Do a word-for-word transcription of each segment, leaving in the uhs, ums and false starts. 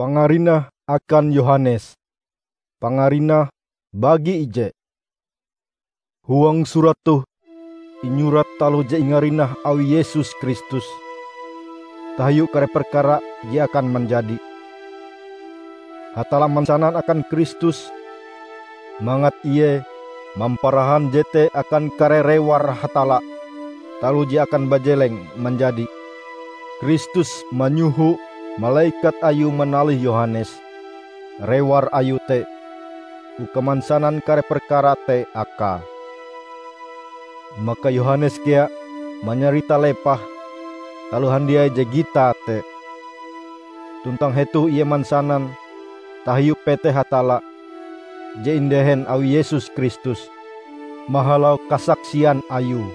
Pangarinah akan Yohanes. Pangarinah bagi ije. Huang surat toh inyurat taloh je ingarinah awi Yesus Kristus, tahiu kare perkara je akan manjadi. Hatalla mansanan akan Kristus, mangat Ie mamparahan jete akan kare rewar Hatalla, taloh je akan bajeleng manjadi. Kristus manyoho malekat Ayue manalih Yohanes, rewar Ayue te, uka mansanan kare perkara te akae. Maka Yohanes kea manyarita lepah taloh handiai je gitae te. Tuntang hetoh ie mansanan tahiu peteh Hatalla je indehen awi Yesus Kristus mahalau kasaksian Ayue.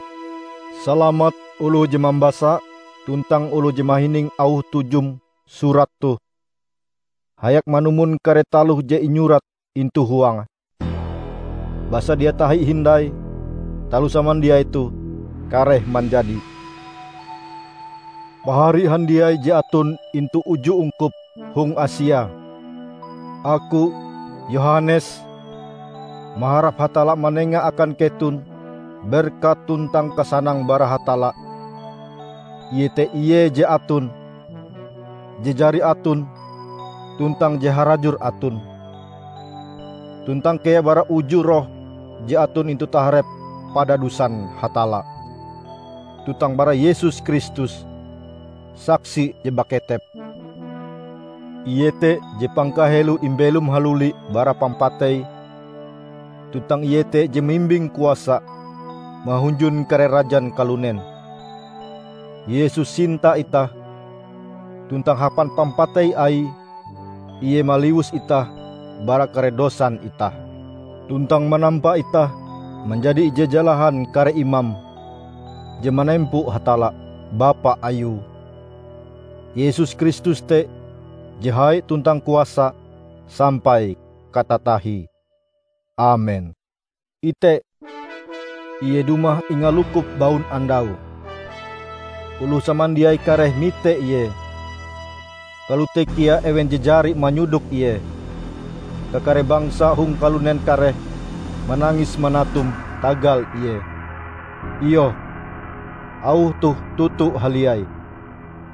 Salamat oloh je mambasa tuntang oloh je mahining auh tujum surat toh, hayak manumon kare taloh je inyurat intu huange. Basa dia tahi hindai taloh samandiai toh kareh manjadi. Pahari handiai je aton intu uju ungkup hong Asia. Aku, Yohanes, maharap Hatalla manenga akan keton berkat tuntang kasanang bara Hatalla, iete Ie je aton, je jari aton, tuntang je harajur aton, tuntang kea bara uju Roh je aton intu taharep padadusan Hatalla, tuntang bara Yesus Kristus, saksi je baketep. Ie te je pangkaheloe imbelom haluli bara pampatei, tuntang Ie te je mimbing kuasa mahunjun kare rajan kalunen. Yesus sinta itah, tuntang hapan pampatei Aie, Ie maliwus itah bara kare dosan itah, tuntang manampa itah manjadi ije jalahan kare imam je manempo Hatalla, Bapa Ayue. Yesus Kristus te je hai tuntang kuasa sampai katatahie. Amen. Ite, Ie dumah ingalukup baun andau. Oloh samandiai kareh mite Ie. Kalote kea ewen je jari manyodok Ie. Kakare bangsa hong kalunen kareh manangis manatum tagal Ie. Iyoh, auh toh toto haliai.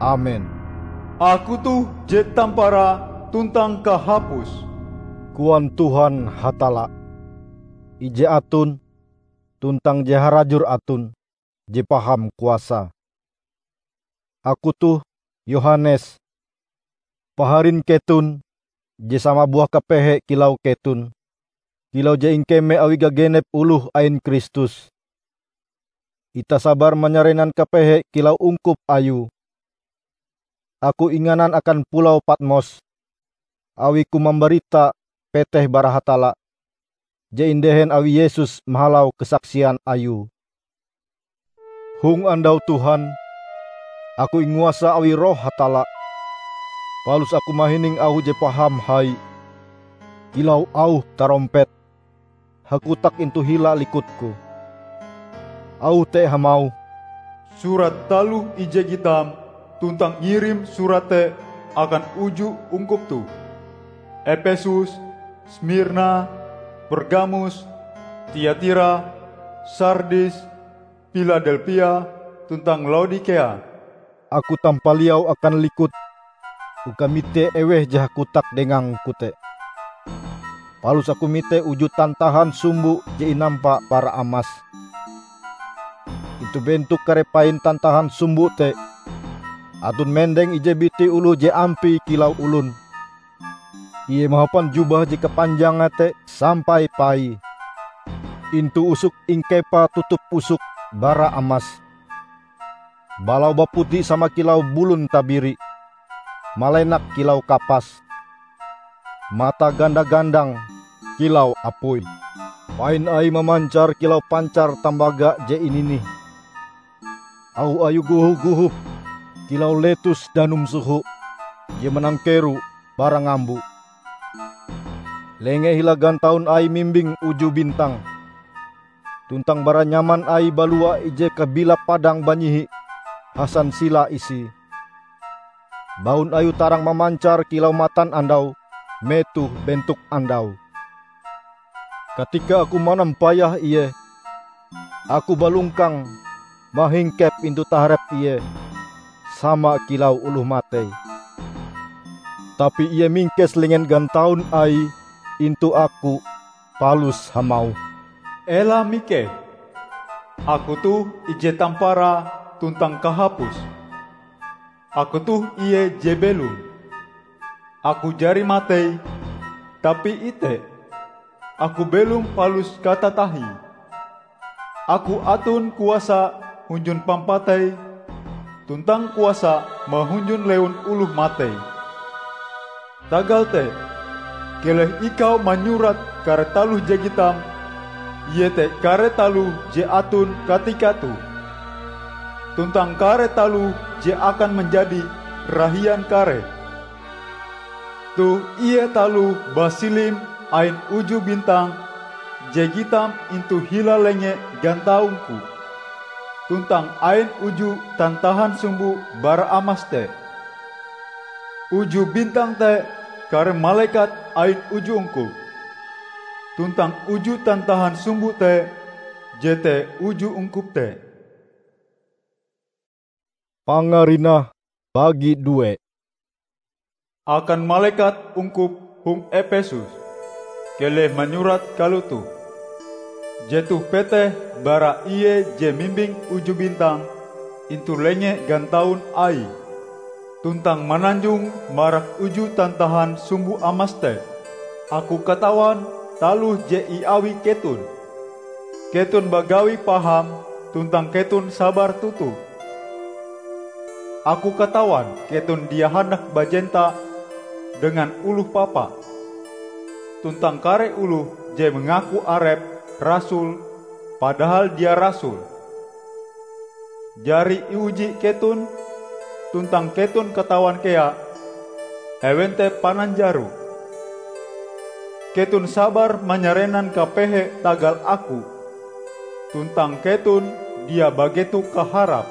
Amen. "Aku toh je tamparae tuntang kahapuse," koan Tuhan Hatalla, ije aton tuntang je harajur aton, je paham kuasae. Aku toh, Yohanes, paharin keton, je sama buah kapehe kilau keton, kilau je ingkeme awi gagenep oloh ain Kristus. Itah sabar manyarenan kapehe kilau ungkup Ayue. Aku inganan akan pulau Patmos, awiku mambarita peteh bara Hatalla, je indehen awi Yesus mahalau kasaksian Ayue. Hong andau Tuhan, aku inguasa awi Roh Hatalla, palus aku mahining auh je paham hai, kilau auh tarompet, hakotak intu hila likutku. Auh te hamauh, "Surat taloh ije gitam tuntang ngirim surat te akan uju ungkup toh: Epesus, Smirna, Pergamus, Tiatira, Sardis, Piladelpia, tuntang Laodikea." Aku tampaliau akan likut uka mite eweh je hakotak dengangku te. Palus aku mite uju tantahan sumbo je inampa bara amas. Intu bentok kare pain tantahan sumbo te, aton mendeng ije biti oloh je ampie kilau olon. Ie mahapan jubah je kapanjange te sampai paie. Intu usok ingkepae tutup usok bara amas. Balaue baputi sama kilau bulon tabiri, malenak kilau kapas, matae ganda-gandang kilau apui. Pain aie mamancar kilau pancar tambaga je ininih. Auh ayue gohoh-gohoh kilau letus danum soho je manangkero bara ngambo. Lengee hila gantaun aie mimbing uju bintang, tuntang bara nyaman aie balua ije kabilap padang banyihi hasansila isie. baun ayue tarang mamancar kilau matanandau metoh bentok andau. Katika aku manampayah ie, aku balongkang mahingkep intu taharep ie sama kilau oloh matei. Tapi ie mingkes lengen gantaun aie intu aku, palus hamauh, "Ela mikeh! Aku toh ije tamparae tuntang kahapuse. Aku toh ie je belom. Aku jari matei, tapi ite, aku belom palus katatahie. Aku aton kuasa hunjun pampatei tuntang kuasa mahunjun lewun oloh matei. Tagal te, keleh ikau manyurat kare taloh je gitam, iete kare taloh je aton katika toh, tuntang kare taloh je akan manjadi rahian karee. Toh ie taloh basilim ain uju bintang je gitam intu hila lenge gantaungku, tuntang ain uju tantahan sumbo bara amas te. Uju bintang te kare malekat ain uju ungkup, tuntang uju tantahan sumbo te jete uju ungkup te." Pangarinah bagi due. Akan malekat ungkup hong Epesus, keleh manyurat kalotoh: "Jetoh peteh bara Ie je mimbing uju bintang intu lenge gantaun Aie, tuntang mananjong marak uju tantahan sumbo amas te. Aku katawan taloh je iawi keton. Keton bagawi paham tuntang keton sabar toto. Aku katawan keton dia handak bajenta dengan oloh papa, tuntang kare oloh je mangaku arepe rasul, padahal dia rasul. Jari iuji keton, tuntang keton katawan kea ewen te pananjaro. Keton sabar manyarenan kapehe tagal aku, tuntang keton dia bageto kaharap.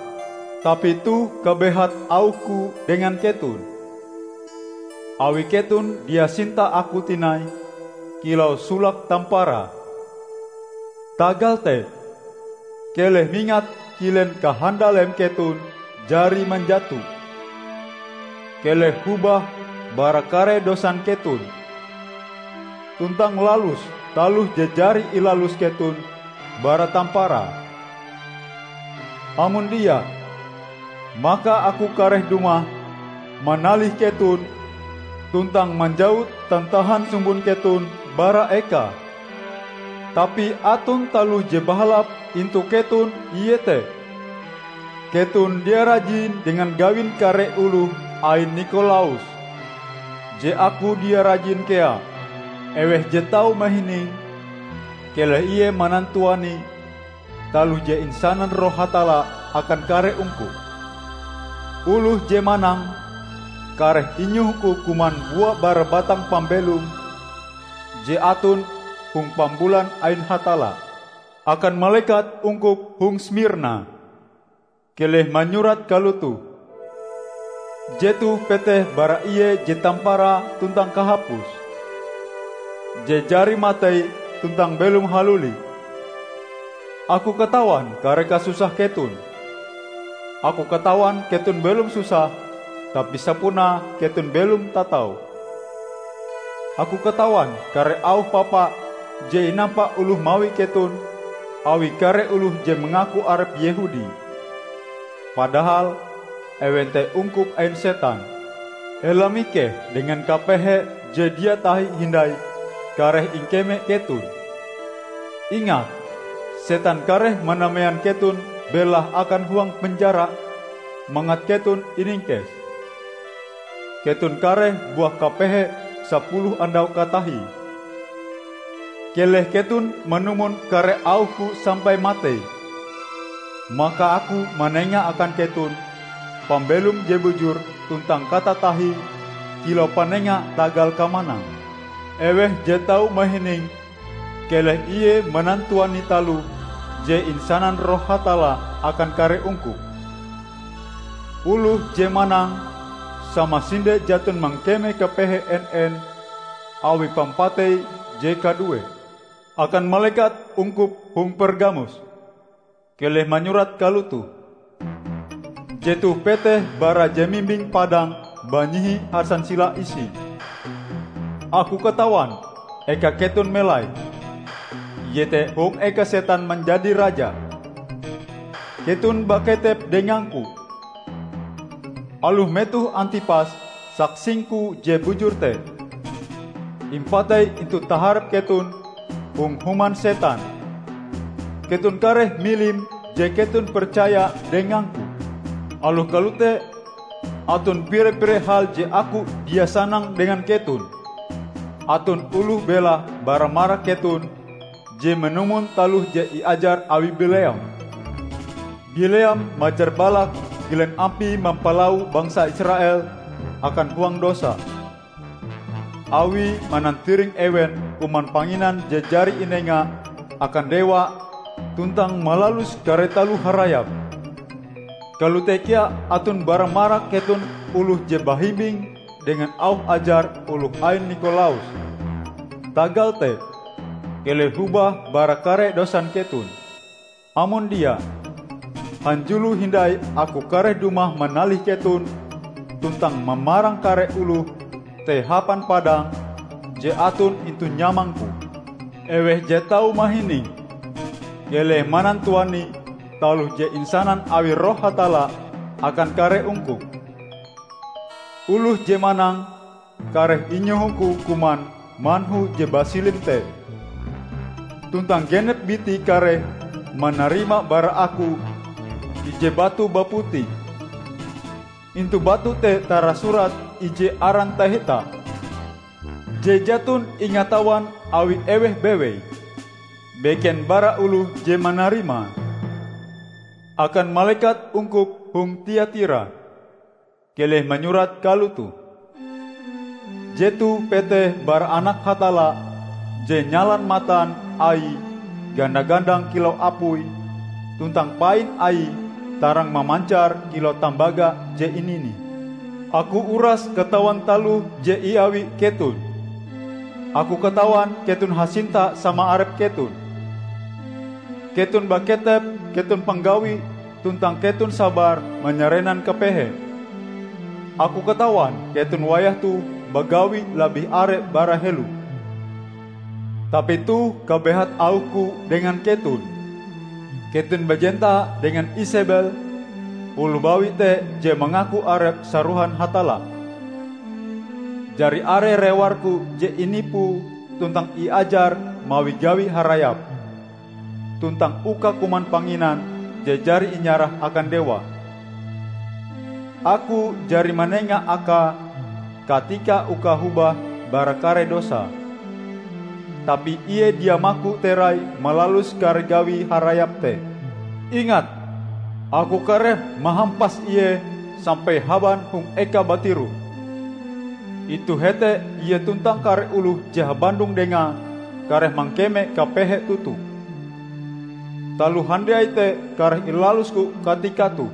Tapi toh kabehat auhku dengan keton, awi keton dia sinta aku tinai kilau solake tamparae. Tagal te, keleh mingat kilen kahandalem keton jari manjato. Keleh hobah bara kare dosan keton, tuntang lalus taloh je jari ilalus keton bara tamparae. Amon dia, maka aku kareh dumah manalih keton tuntang manjawut tantahan sumbon keton bara ekae. Tapi aton taloh je bahalap intu keton, iete: keton dia rajin dengan gawin kare oloh ain Nikolaus, je aku dia rajin kea. Eweh je tau mahining, keleh ie manantuani taloh je insanan Roh Hatalla akan kare ungkup. Oloh je manang, kareh inyohoku kuman bua bara batang pambelom je aton hong pambulan ain Hatalla." Akan malekat ungkup hong Smirna, keleh manyurat kalotoh: "Jetoh peteh bara Ie je tamparae tuntang kahapuse, je jari matei tuntang belom haluli. Aku katawan kare kasusah keton. Aku katawan keton belom susah, tapi sapunae keton belom tatau. Aku katawan kare auh papa je inampa oloh mawi keton awi kare oloh je mangaku arepe Yehudi, padahal ewen te ungkup ain setan. Ela mikeh dengan kapehe je dia tahi hindai kareh ingkeme keton. Ingat, setan kareh manamean keton belahe akan huang penjara mangat keton iningkes. Keton kareh buah kapehe sapuluh andau katahie. Keleh keton manumon kare auhku sampai matei. Maka aku manenga akan keton pambelom je bujur tuntang katatahie kilau panenga tagal kamanang. Eweh je tau mahining, keleh ie manantuani taloh je insanan Roh Hatalla akan kare ungkup. Oloh je manang, samasinde jaton mangkeme kapehe en-en awi pampatei je kaduee. Akan malekat ungkup hong Pergamus, keleh manyurat kalotoh: Jetoh peteh bara je mimbing padang banyihi hasansila isie. Aku katawan eka keton melai, iete hong eka setan manjadi raja. Keton baketep dengangku, aloh metoh Antipas, saksingku je bujur te, impatei intu taharep keton hong human setan. Keton kareh milim je keton percaya dengangku. Aloh kalote, aton pire-pire hal je aku dia sanang dengan keton. Aton oloh belahe bara marak keton je manumon taloh je iajar awi Bileam. Bileam majar Balak kilen ampie mampalau bangsa Israel akan huang dosa, awie manantiring ewen kuman panginan je jari inenga akan dewa tuntang malalus kare taloh harayap. Kalote kea aton bara marak keton oloh je bahimbing dengan auh ajar oloh ain Nikolaus. Tagal te, keleh hobah bara kare dosan keton. Amon dia, hanjulo hindai aku kareh dumah manalih keton tuntang mamarang kare oloh te hapan padang je aton intu nyamangku. Eweh je tau mahining, keleh manantuani taloh je insanan awi Roh Hatalla akan kare ungkup. Oloh je manang kareh inyohoku kuman manhu je basilim te. Tuntang genep biti kareh manarima bara aku ije batu baputi. Intu batu te tarasurat ije aran taheta, je jaton ingatawan awi eweh bewei, beken bara oloh je manarimae. Akan malekat ungkup hong Tiatira, keleh manyurat kalotoh: Jetoh peteh bara Anak Hatalla je nyalan matan Aie ganda-gandang kilau apui, tuntang pain Aie tarang mamancar kilau tambaga je ininih. Aku uras katawan taloh je iawi keton. Aku katawan keton hasinta sama arep keton. Keton baketep keton panggawi tuntang keton sabar manyarenan kapehe. Aku katawan keton wayah toh bagawi labih are bara helo. Tapi toh kabehat auhku dengan keton: Keton bajenta dengan Isebel, oloh bawi te je mangaku arepe sarohan Hatalla. Jari are rewarku je inipue tuntang iajar mawi gawi harayap, tuntang uka kuman panginan je jari inyarah akan dewa. Aku jari manenga akae katika uka hobah bara kare dosae. Tapi ie dia maku terai malalus kare gawi harayap te. Ingat, aku kareh mahampas ie sampai haban hong eka batiroh. Intu hete ie tuntang kare oloh je habandong dengae kareh mangkeme kapehe toto. Taloh handiai te kareh ilalusko katika toh,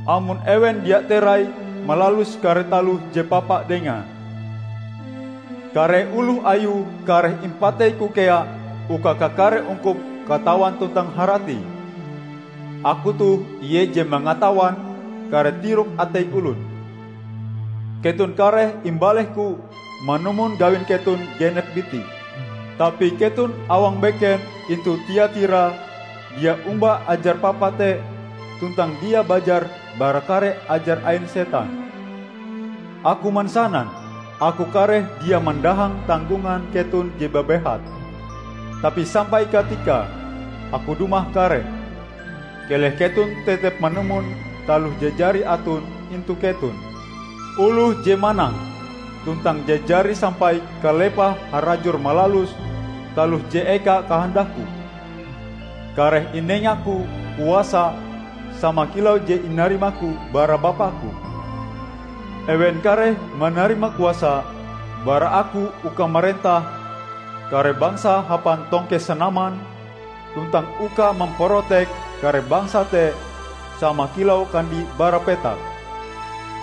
amon ewen dia terai malalus kare taloh je papa dengae. Kare oloh ayue kareh impateiku kea uka kakare ungkup katawan tuntang haratie. Aku toh ie je mangatawan kare tirok atei olon. Keton kareh imbalehku manumon gawin keton genep biti. Tapi keton awang beken intu Tiatira dia omba ajar papa te tuntang dia bajar bara kare ajar ain setan. Aku mansanan, aku kareh dia mandahang tanggongan keton je babehat. Tapi sampai katika aku dumah kareh, keleh keton tetep manumon taloh je jari aton intu keton. Oloh je manang tuntang je jari sampai kalepah harajur malalus taloh je eka kahandakku, kareh inengaku kuasa sama kilau je inarimaku bara Bapa-Ku. Ewen kareh manarima kuasa bara Aku uka marentah kare bangsa hapan tongke sanaman, tuntang uka mamparotek kare bangsa te sama kilau kandi bara petak.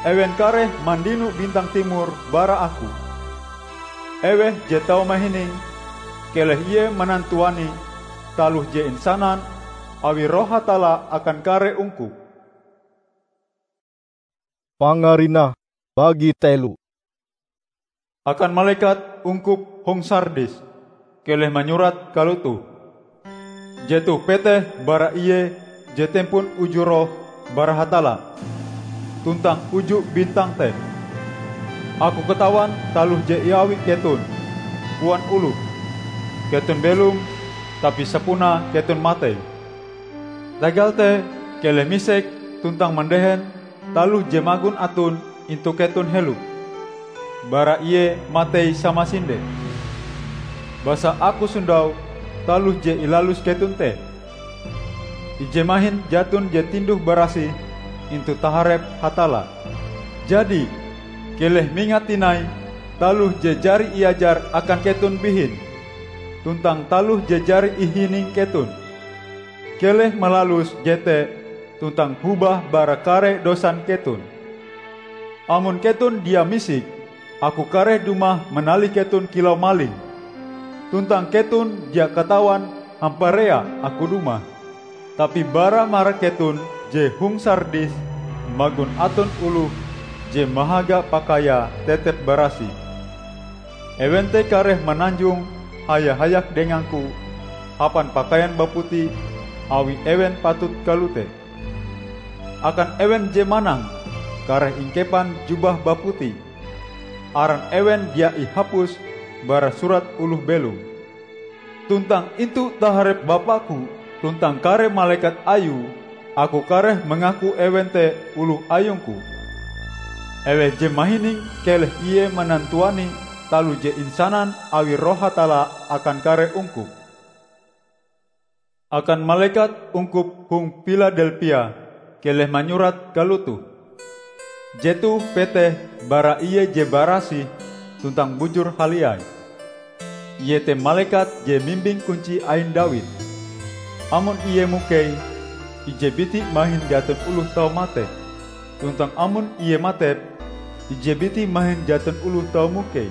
Ewen kareh mandino bintang timor bara Aku. Eweh je tau mahining, keleh ie manantuani taloh je insanan awi Roh Hatalla akan kare ungkup." Pangarinah bagi telo. Akan malekat ungkup hong Sardis, keleh manyurat kalotoh: "Jetoh peteh bara Ie je tempon uju Roh bara Hatalla, tuntang uju bintang te. Aku katawan taloh je iawi keton, koan oloh. Keton belom, tapi sapunae keton matei. Tagal te, keleh misek tuntang mandehen taloh je magon aton intu keton helo. Bara Ie matei samasinde. Basa Aku sondau taloh je ilalus keton te. Ije mahin jaton je tinduh-barasih intu taharep Hatalla. Jadi, keleh mingat tinai taloh je jari iajar akan keton bihin, tuntang taloh je jari ihining keton. Keleh malalus jete tuntang hobah bara kare dosan keton. Amon keton dia misik, Aku kareh dumah manalih keton kilau maling, tuntang keton dia katawan hamparea Aku dumah. Tapi bara marak keton je hong Sardis magon aton oloh je mahaga pakaiae tetep barasih. Ewen te kareh mananjong haya-hayak dengang-Ku hapan pakaian baputi awi ewen patut kalote. Akan ewen je manang, kareh ingkepan jubah baputi. Aran ewen dia ihapus bara surat oloh belom. Tuntang intu taharep Bapa-Ku tuntang kare malekat Ayue, Aku kareh mangaku ewen te oloh ayung-Ku. Eweh je mahining, keleh ie manantuani taloh je insanan awi Roh Hatalla akan kare ungkup." Akan malekat ungkup hong Piladelpia, keleh manyurat kalotoh: "Jetoh peteh bara Ie je barasih tuntang bujur haliai. Ie te malekat je mimbing kunci ain Dawid. Amon ie mukei, ije biti mahin jaton oloh tau matep, tuntang amon ie matep, ije biti mahin jaton oloh tau mukei.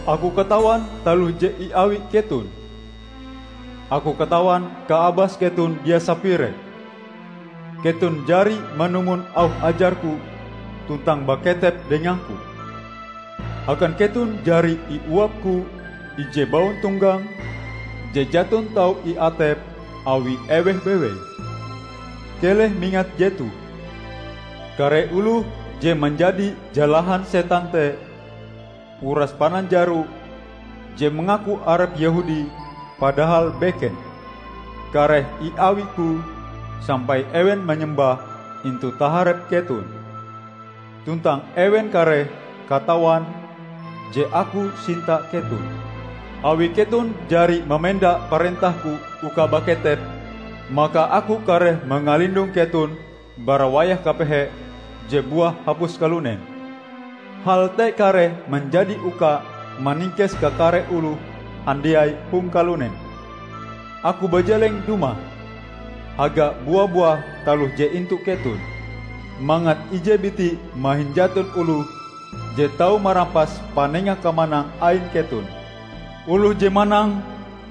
Aku katawan taloh je iawi keton. Aku katawan kaabas keton dia sapire. Keton jari manumon auh ajar-Ku tuntang baketep dengang-Ku. Akan keton jari iuap-Ku ije bauntonggang je jaton tau iatep awi eweh bewei. Keleh mingat jetoh: kare oloh je manjadi jalahan setan te, uras pananjaro je mangaku arepe Yehudi padahal beken, kareh iawi-Ku sampai ewen manyembah intu taharep keton. Tuntang ewen kareh katawan je Aku sinta keton. Awi keton jari mamenda parentah-Ku uka baketep, maka Aku kareh mangalindong keton bara wayah kapehe je buah hapus kalunen. Hal te kareh manjadi uka maningkes kakare oloh handiai hong kalunen. Aku bajeleng dumah, haga bua-buah taloh je intu keton, mangat ije biti mahin jaton oloh je tau marampas panenga kamanang ain keton. Oloh je manang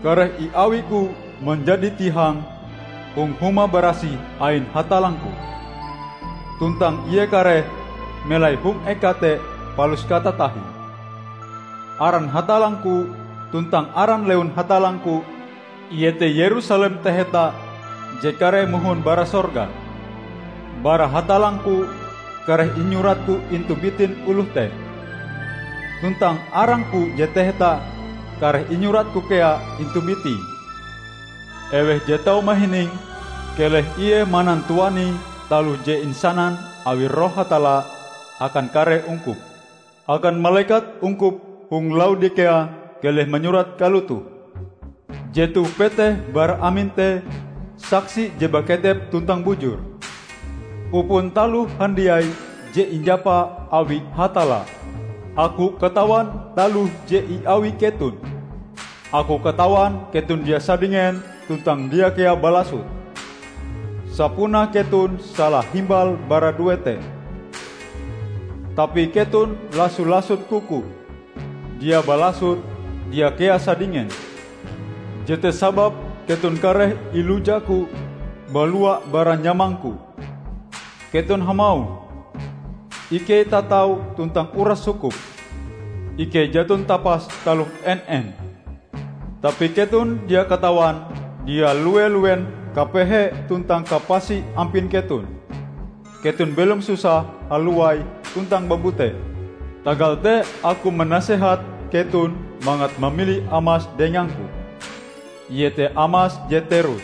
kareh iawi-Ku manjadi tihang hong huma barasih ain Hatallangku, tuntang ie kareh melai hong eka te palus katatahie. Aran Hatallangku tuntang aran lewun Hatallangku, iete Yerusalem taheta je kareh mohon bara sorga. Bara Hatallangku kareh inyuratku intu bitin oloh te, tuntang arangku je taheta kareh inyuratku kea intu bitie. Eweh je tau mahining, keleh ie manantuani taloh je insanan awi Roh Hatalla akan kare ungkup. Akan malekat ungkup hong Laodikea keleh manyurat kalotoh: Jetoh peteh bara amin te saksi je baketep tuntang bujur. Upon taloh handiai je injapa awi Hatalla, aku katawan taloh je iawi keton. Aku katawan keton dia sadingen tuntang dia kea balasot. Sapunae keton sala himbal bara due te. Tapi keton lasu-lasut-Ku, dia balasut, dia kea sadingen. Jete sababe keton kareh iluja-Ku balua bara nyamang-Ku. Keton hamauh, 'Ikei tatau tuntang uras sukup. Ikei jaton tapas taloh en-en.' Tapi keton dia katawan dia lue-luen kapehe tuntang kapasi ampin keton. Keton belom susah haluai tuntang babute. Tagal te Aku manasehat keton mangat mamili amas dengang-Ku, iete amas je terus,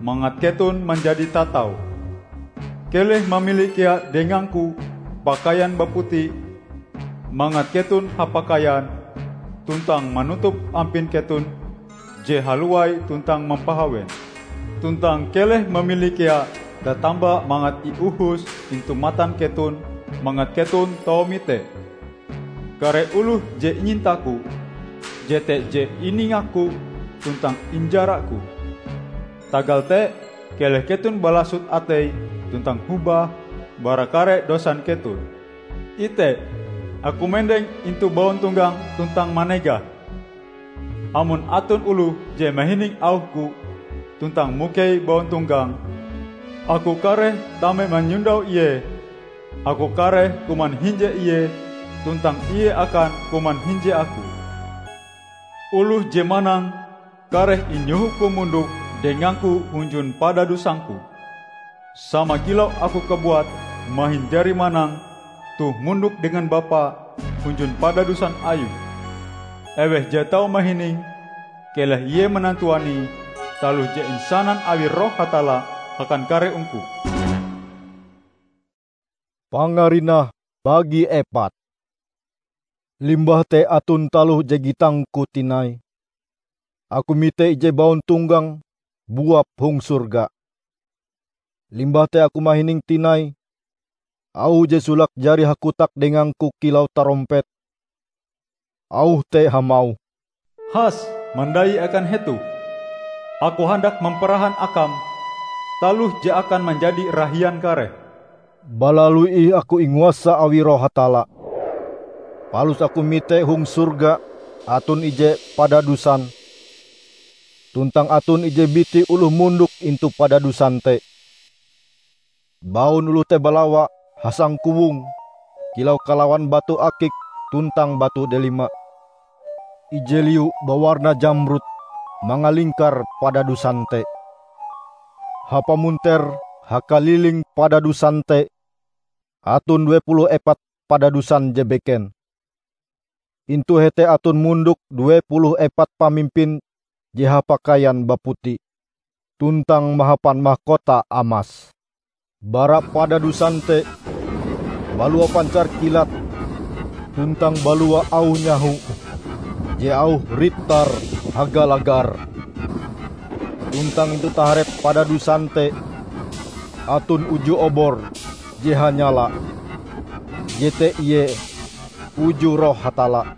mangat keton manjadi tatau. Keleh mamili kea dengang-Ku pakaian baputi, mangat keton hapakaian tuntang manutup ampin keton je haluai tuntang mampahawen. Tuntang keleh mamili kea tatamba mangat iuhus intu matan keton, mangat keton tau mite. Kare oloh je inyinta-Ku, jete je iningak-Ku tuntang injara-Ku. Tagal te, keleh keton balasut atei tuntang hobah bara kare dosan keton. Ite, Aku mendeng intu bauntonggang tuntang manegah. Amon aton oloh je mahining auh-Ku tuntang mukei bauntonggang, Aku kareh tame manyondau ie. Aku kareh kuman hinje ie, tuntang ie akan kuman hinje Aku. Oloh je manang kareh inyoho-Ku mondok dengang-Ku hunjun padadusan-Ku, sama kilau Aku kabuat mahin jari manang toh mondok dengan Bapa hunjun padadusan Ayue. Eweh je tau mahininge, keleh ie manantuanie taloh je insanan awi Roh Hatalla akan kare ungkup." Pangarinah bagi epat. Limbah te aton taloh je gitang-Ku tinai. Aku mite ije bauntonggang buap hong sorga. Limbah te aku mahining tinai auh je solake jari hakotak dengang-Ku kilau tarompet. Auh te hamauh, "Has, mandai akan hetoh! Aku handak mamparahan akam taloh je akan manjadi rahian kareh." Balalu ih aku inguasa awi Roh Hatalla. Palus aku mite hong sorga aton ije padadusan, tuntang aton ije biti oloh mondok intu padadusan te. Baun oloh te balawa hasangkowong kilau kalawan batu akik tuntang batu delima. Ije liu bawarna jamrud mangalingkar padadusan te. Hapamunter hakaliling padadusan te aton due puluh epat padadusan je beken. Intu hete aton mondok due puluh epat pamimpin je hapakaian baputi, tuntang mahapan mahkota amas. Bara padadusan te balua pancar kilat, tuntang balua auh nyaho je auhe ritar hagalagar. Tuntang intu taharep padadusan te aton uju obor je hanyala, jete ie uju Roh Hatalla.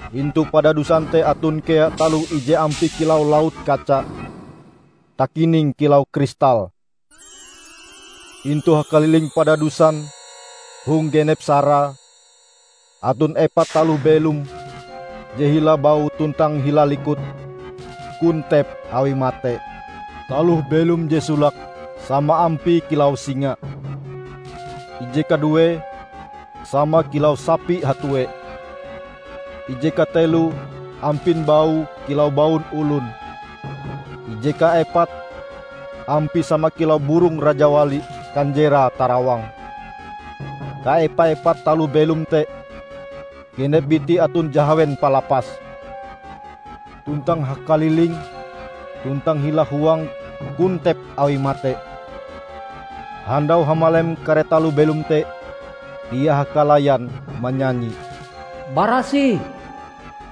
Intu padadusan te aton kea taloh ije ampie kilau laut kaca, takining kilau kristal. Intu hakaliling padadusan, hong genep sarae, aton epat taloh belom je hila baue tuntang hila likute kontep awi mate. Taloh belom je solake sama ampie kilau singa. Ije kaduee sama kilau sapi hatue. Ije kateloe ampin baue kilau baun olon. Ije kaepate ampie sama kilau burong rajawali kanjerae tarawang. Kaepa-epat taloh belom te genep biti aton jahawen palapas. Tuntang hakaliling tuntang hila huange kontep awi mate. Handau hamalem kare taloh belom te, dia hakalayan manyanyi, "Barasih!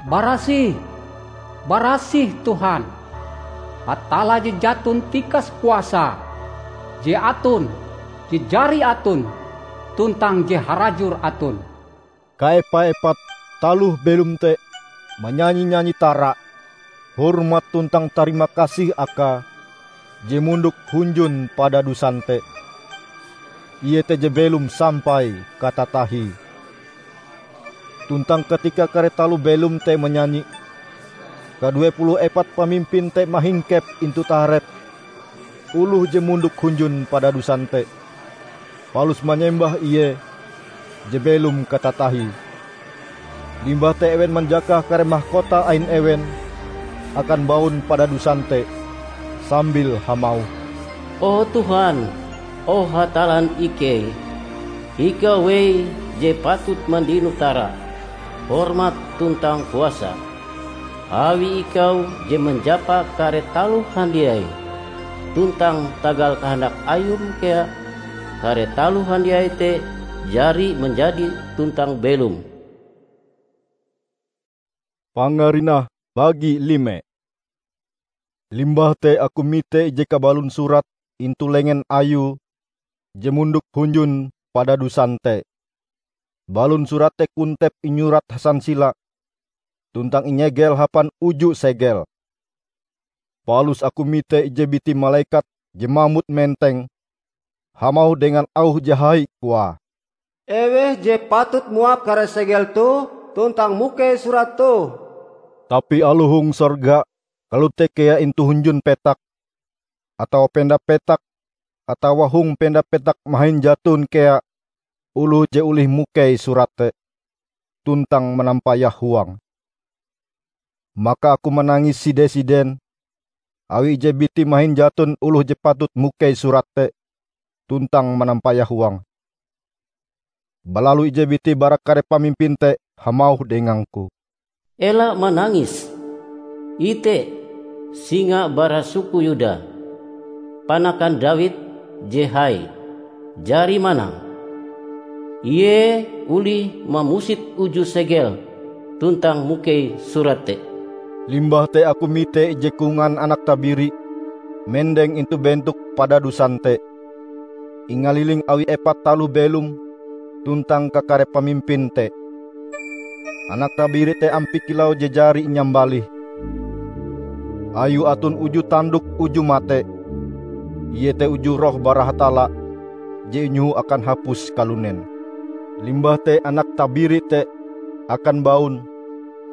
Barasih! Barasih Tuhan, Hatalla je jaton tikas kuasa, je aton, je jari aton, tuntang je harajur aton!" Kaepa-epat taloh belom te manyanyi-nyanyi tara hormat tuntang tarima kasih Akae je mondok hunjun padadusan te. iete je belom sampai katatahie. Tuntang katika kare taloh belom te manyanyi, kadue puluh epat pamimpin te mahingkep intu taharep oloh je mondok hunjun padadusan te, palus manyembah ie je belom katatahie. Limbah te ewen manjakah kare mahkota ain ewen akan baun padadusan te, sambil hamauh, "O Tuhan, o Hatallan ikei, Ikau wei je patut mandino tara, hormat tuntang kuasa. Awi Ikau je manjapa kare taloh handiai, tuntang tagal kahandak Ayum kea kare taloh handiai te jari manjadi tuntang belom." Pangarinah bagi lime. Limbah te aku mite ije kabalon surat intu lengen Ayue je mondok hunjun padadusan te. Balon surat te kontep inyurat hasansila, tuntang inyegel hapan uju segel. Palus aku mite ije biti malekat je mamut menteng, hamauh dengan auh je hai koae, "Eweh je patut muap kare segel toh tuntang mukei surat toh?" Tapi aloh hong sorga, kalote kea intu hunjun petak, atawa penda petak, atawa hong penda petak mahin jaton kea oloh je olih mukei surat te, tuntang manampayah huange. Maka aku manangis side-siden, awi ije biti mahin jaton oloh je patut mukei surat te, tuntang manampayah huange. Balalu ije biti bara kare pamimpin te hamauh dengangku, "Ela manangis! Ite, singa bara suku Yuda, panakan Dawid je hai, jari manang. Ie olih mamusit uju segel tuntang mukei surat te." Limbah te aku mite ije kongan anak tabiri mendeng intu bentok padadusan te, ingaliling awi epat taloh belom tuntang kakare pamimpin te. Anak tabiri te ampie kilau je jari inyambalih. Ayue aton uju tandok uju mate, iete uju roh bara Hatalla je inyoho akan hapus kalunen. Limbah te anak tabiri te akan baun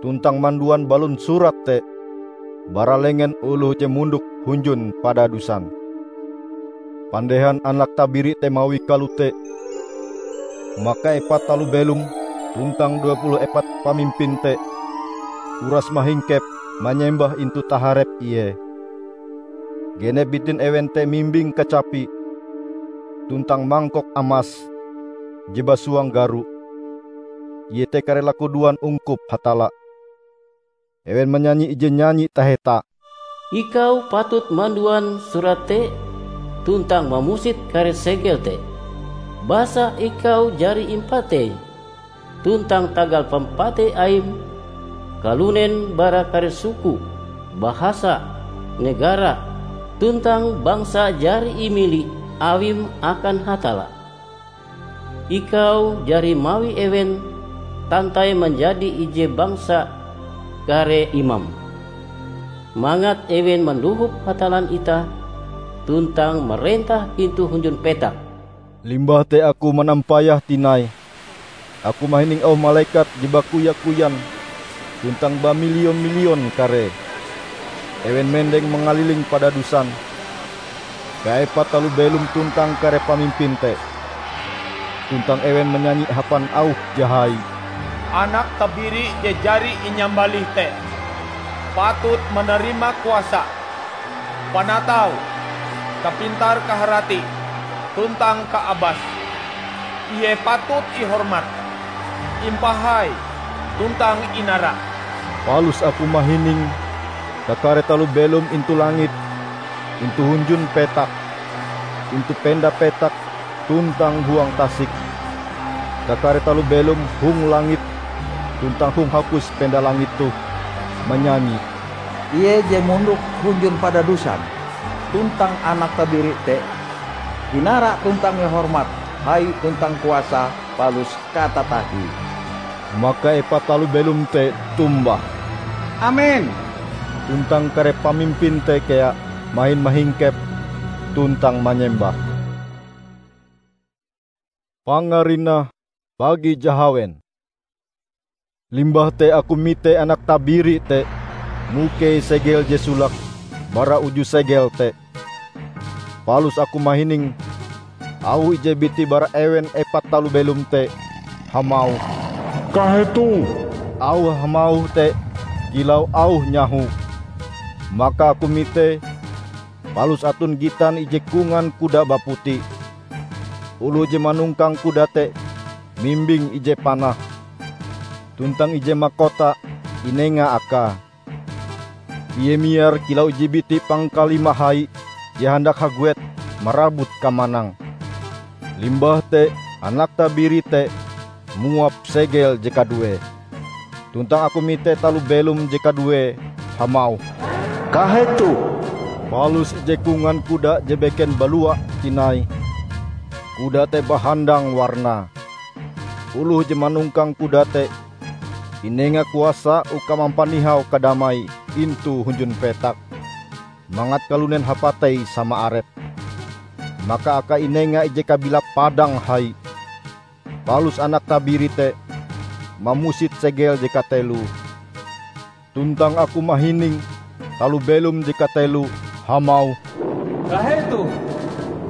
tuntang manduan balon surat te bara lengen oloh je mondok hunjun padadusan. Pandehan anak tabiri te mawie kalote, maka epat taloh belom tuntang due puluh epat pamimpin te uras mahingkep manyembah intu taharep ie. Genep bitin ewen te mimbing kacapi tuntang mangkok amas je basuang garo, iete kare lakudoan ungkup Hatalla. Ewen manyanyi ije nyanyi taheta, "Ikau patut manduan surat te tuntang mamusit kare segel te, basa ikau jari impatei, tuntang tagal pampatei Aim, kalunen bara kare suku, bahasa, negara, tuntang bangsa jari imili Awim akan Hatalla. Ikau jari mawi ewen tantai manjadi ije bangsa kare imam, mangat ewen mandohop Hatallan itah tuntang marentah intu hunjun petak." Limbah te aku manampayah tinai, aku mahining auh malekat je bakuya-kuyan tuntang bamilion-milion karee. Ewen mendeng mangaliling padadusan, kaepat taloh belom tuntang kare pamimpin te. Tuntang ewen manyanyi hapan auh je hai, "Anak tabiri je jari inyambalih te patut manarima kuasa, panatau, kapintar-kaharati, tuntang kaabas. Ie patut ihormat, impahai, tuntang inara." Palus aku mahining kakare taloh belom intu langit, intu hunjun petak, intu penda petak, tuntang huang tasik. Kakare taloh belom hong langit tuntang hong hapus penda langit toh manyanyi, "Ie je mondok hunjun padadusan tuntang Anak Tabiri te, inara tuntang ihormat, hai tuntang kuasa, palus katatahie." Maka epat taloh belom te tombah, "Amen!" Tuntang kare pamimpin te kea mahin mahingkep tuntang manyembah. Pangarinah bagi jahawen. Limbah te aku mite Anak Tabiri te mukei segel je solake bara uju segel te. Palus aku mahining auh ije biti bara ewen epat taloh belom te hamauh, "Kahetoh!" Auh hamauh te kilau auh nyaho. Maka aku mite, palus aton gitan ije kongan kuda baputi. Oloh je manongkang kuda te mimbing ije panah, tuntang ije makota inenga akae. Ie miar kilau ije biti pangkalimah hai je handak haguet marabut kamanang. Limbah te Anak Tabiri te muap segel je kaduee. Tuntang aku mite taloh belom je kaduee hamauh, "Kahetoh!" Palus ije kongan kuda je beken balua tinai. Kuda te bahandang warnae. Oloh je manongkang kuda te inenga kuasa uka mampanihau kadamai intu hunjun petak, mangat kalunen hapatei sama arepe. Maka akae inenga ije kabilap padang hai. Palus Anak Tabiri te mamusit segel je kateloe. Tuntang aku mahining taloh belom je kateloe hamauh, "Kahetoh!"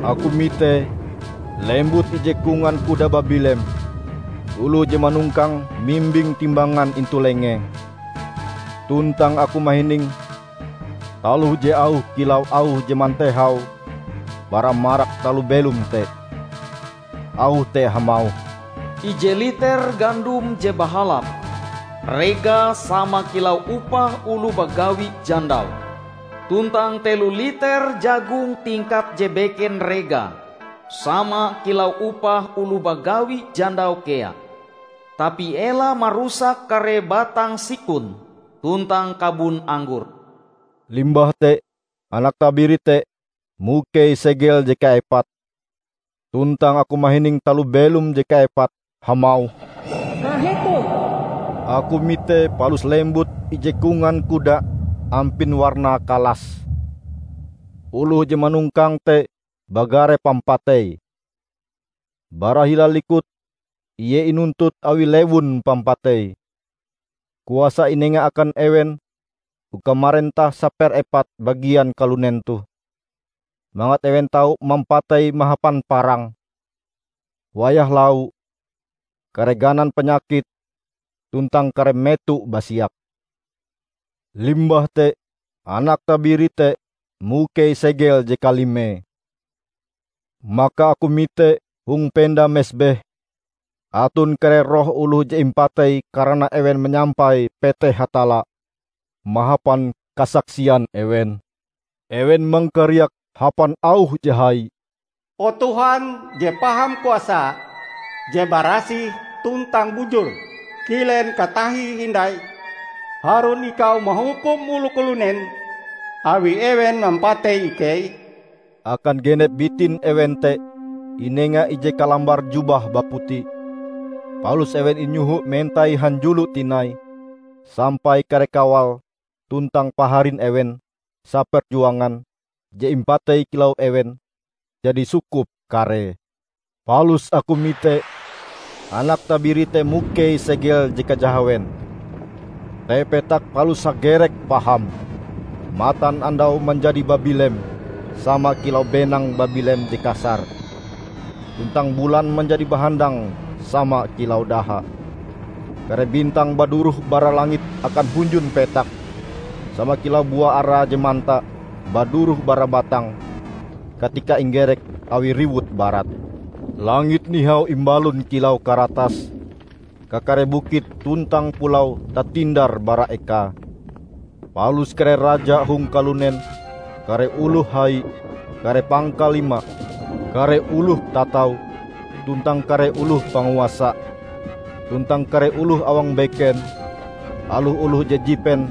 Aku mite lembut ije kongan kuda babilem. Oloh je manongkange mimbing timbangan intu lengee. Tuntang aku mahining taloh je auhe kilau auh je mantehau bara marak taloh belom te. Auh te hamauh, "Ije liter gandom je bahalap, regae sama kilau upah oloh bagawi jandau. Tuntang telo liter jagong tingkat je beken regae, sama kilau upah oloh bagawi jandau kea. Tapi ela marusak kare batang sikon tuntang kabon anggor." Limbah te Anak Tabiri te mukei segel je kaepat. Tuntang aku mahining taloh belom je kaepat hamauh, "Kahetoh!" Aku mite palus lembut ije kongan kuda ampin warnae kalas. Oloh je manongkange te bagare pampatei. Bara hila likute ie inuntut awi lewun pampatei. Kuasa inenga akan ewen uka marentah saperepat bagian kalunen toh, mangat ewen tau mampatei mahapan parang, wayah lau, kare ganan panyakit, tuntang kare meto basiak. Limbah te Anak Tabiri te mukei segel je kalimee. Maka aku mite hong penda mesbeh aton kare roh oloh je impatei karana ewen manyampai peteh Hatalla mahapan kasaksian ewen. Ewen mangkariak hapan auh je hai, "O Tuhan je paham kuasa, je barasih tuntang bujur, kilen katahie hindai harun ikau mahukum oloh kalunen awi ewen mampatei ikei?" Akan genep bitin ewen te inenga ije kalambar jubah baputi. Palus ewen inyoho mentai hanjulo tinai, sampai kare kawal tuntang paharin ewen saperjuangan je impatei kilau ewen jadi sukup karee. Palus aku mite Anak Tabiri te mukei segel je kajahawen. Te petak palus hagerek paham. Matanandau manjadi babilem sama kilau benang babilem je kasar. Tuntang bulan manjadi bahandang sama kilau daha. Kare bintang baduroh bara langit akan hunjun petak, sama kilau bua ara je manta baduroh bara batang katika inggerek awi riwut barat. Langit nihau imbalon kilau karatas, kakare bukit tuntang pulau tatindar bara ekae. Palus kare raja hong kalunen, kare oloh hai, kare pangkalima, kare oloh tatau, tuntang kare oloh panguasa, tuntang kare oloh awang beken, aloh oloh je jipen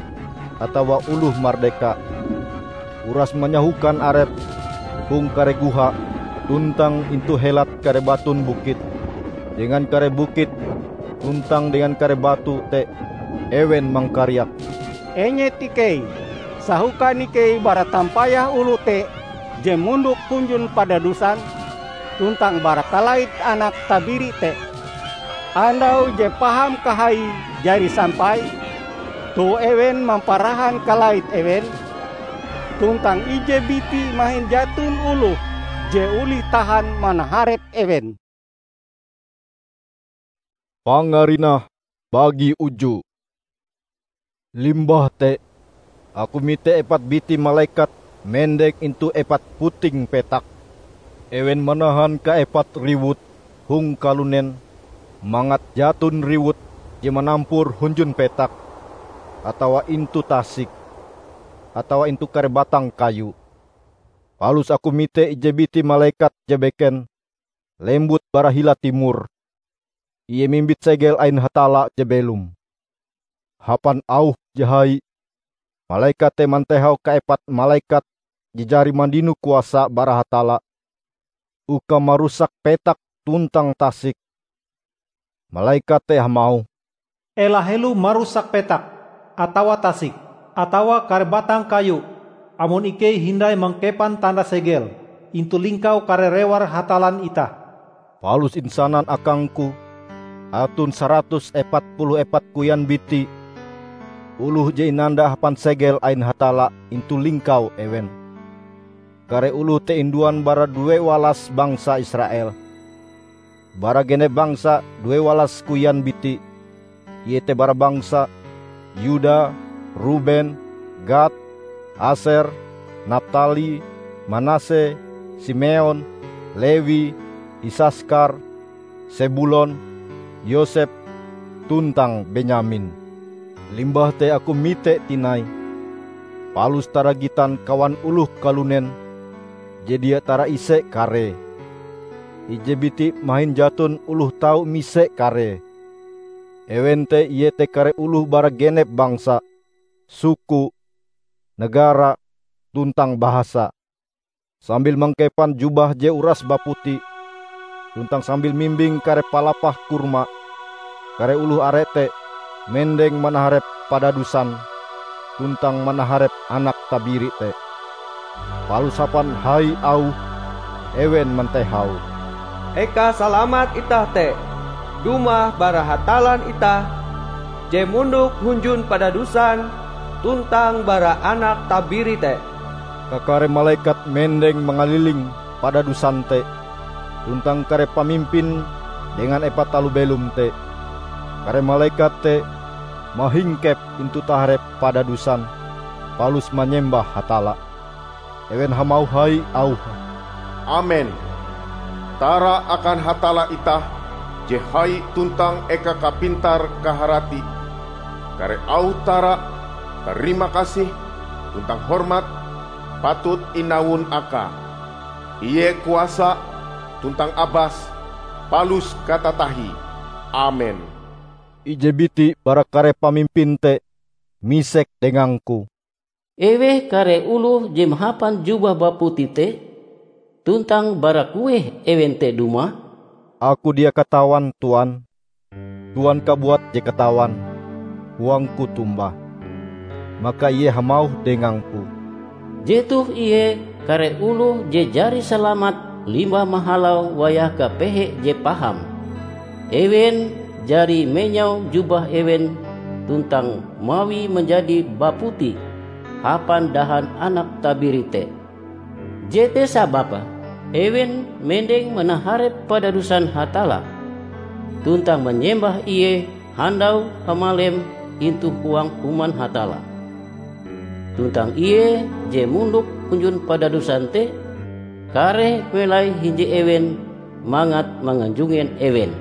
atawa oloh mardeka, uras manyahokan arepe hong kare goha tuntang intu helat kare baton bukit. Dengan kare bukit tuntang dengan kare batu te ewen mangkariak, "Enyet ikei! Sahokan ikei bara tampayah oloh te je mondok hunjun padadusan!" tuntang bara kalait anak tabiri te. Andau je paham kahaie jari sampai, toh ewen mamparahan kalait ewen, tuntang ije biti mahin jaton oloh je olih tahan manaharep ewen. Pangarinah bagi uju. Limbah te, aku mite epat biti malekat mendeng intu epat puting petak. Ewen manahan kaepat riwut hong kalunen mangat jaton riwut je manampur hunjun petak, atawa intu tasik, atawa intu kare batang kayu. Palus aku mite ije biti malekat je beken lembut bara hila timor. Ie mimbit segel ain Hatalla je belom. Hapan auh je hai, malekat te mantehau kaepat malekat je jari mandino kuasa bara Hatalla uka marusak petak tuntang tasik. Malekat te hamauh, "Ela helo marusak petak, atawa tasik, atawa kare batang kayu, amon ikei hindai mangkepan tanda segel intu lingkau kare rewar Hatallan itah." Palus insanan akangku, aton saratus epat puluh epat koyan biti oloh je inanda hapan segel ain Hatalla intu lingkau ewen. Kare oloh te induan bara due walas bangsa Israel. Bara genep bangsa due walas koyan biti, iete bara bangsa Yuda, Ruben, Gad, Aser, Naptali, Manase, Simeon, Lewi, Isaskar, Sebulon, Yosep, tuntang Benyamin. Limbah te aku mite tinai, palus taragitan kawan oloh kalunen je dia taraise karee. Ije biti mahin jaton oloh tau mise karee. Ewen te iete kare oloh bara genep bangsa, suku, negara, tuntang bahasa. Sambil mangkepan jubah je uras baputi, tuntang sambil mimbing kare palapah kurma, kare oloh are te mendeng manaharep padadusan tuntang manaharep Anak Tabiri te. Palus hapan hai auh, ewen mantehau, "Eka salamat itah te dumah bara Hatallan itah je mondok hunjun padadusan tuntang bara Anak Tabiri te." Kakare malekat mendeng mangaliling padadusan te, tuntang kare pamimpin dengan epat taloh belom te. Kare malekat te mahingkep intu taharep padadusan, palus manyembah Hatalla. Ewen hamauh hai auhe, "Amen! Tara akan Hatalla itah je hai tuntang eka kapintar-kaharati! Kare auh tara, tarima kasih, tuntang hormat patut inawon Akae. Ie kuasa tuntang abas palus katatahie. Amen!" Ije biti bara kare pamimpin te misek dengangku, "Eweh kare oloh je mahapan jubah baputi te, tuntang bara kueh ewen te dumah?" "Aku dia katawan, Tuan. Tuan kabuat je katawan," koangku tombah. Maka ie hamauh dengangku, "Jetoh ie kare oloh je jari salamat limbah mahalau wayah kapehe je paham. Ewen jari menyau jubah ewen tuntang mawie manjadi baputi hapan dahan Anak Tabiri te. Jete sababe ewen mendeng manaharep padadusan Hatalla, tuntang manyembah Ie handau hamalem intu huang Human Hatalla. Tuntang Ie je mondok hunjun padadusan te, kareh melai hinje ewen mangat manganjungen ewen.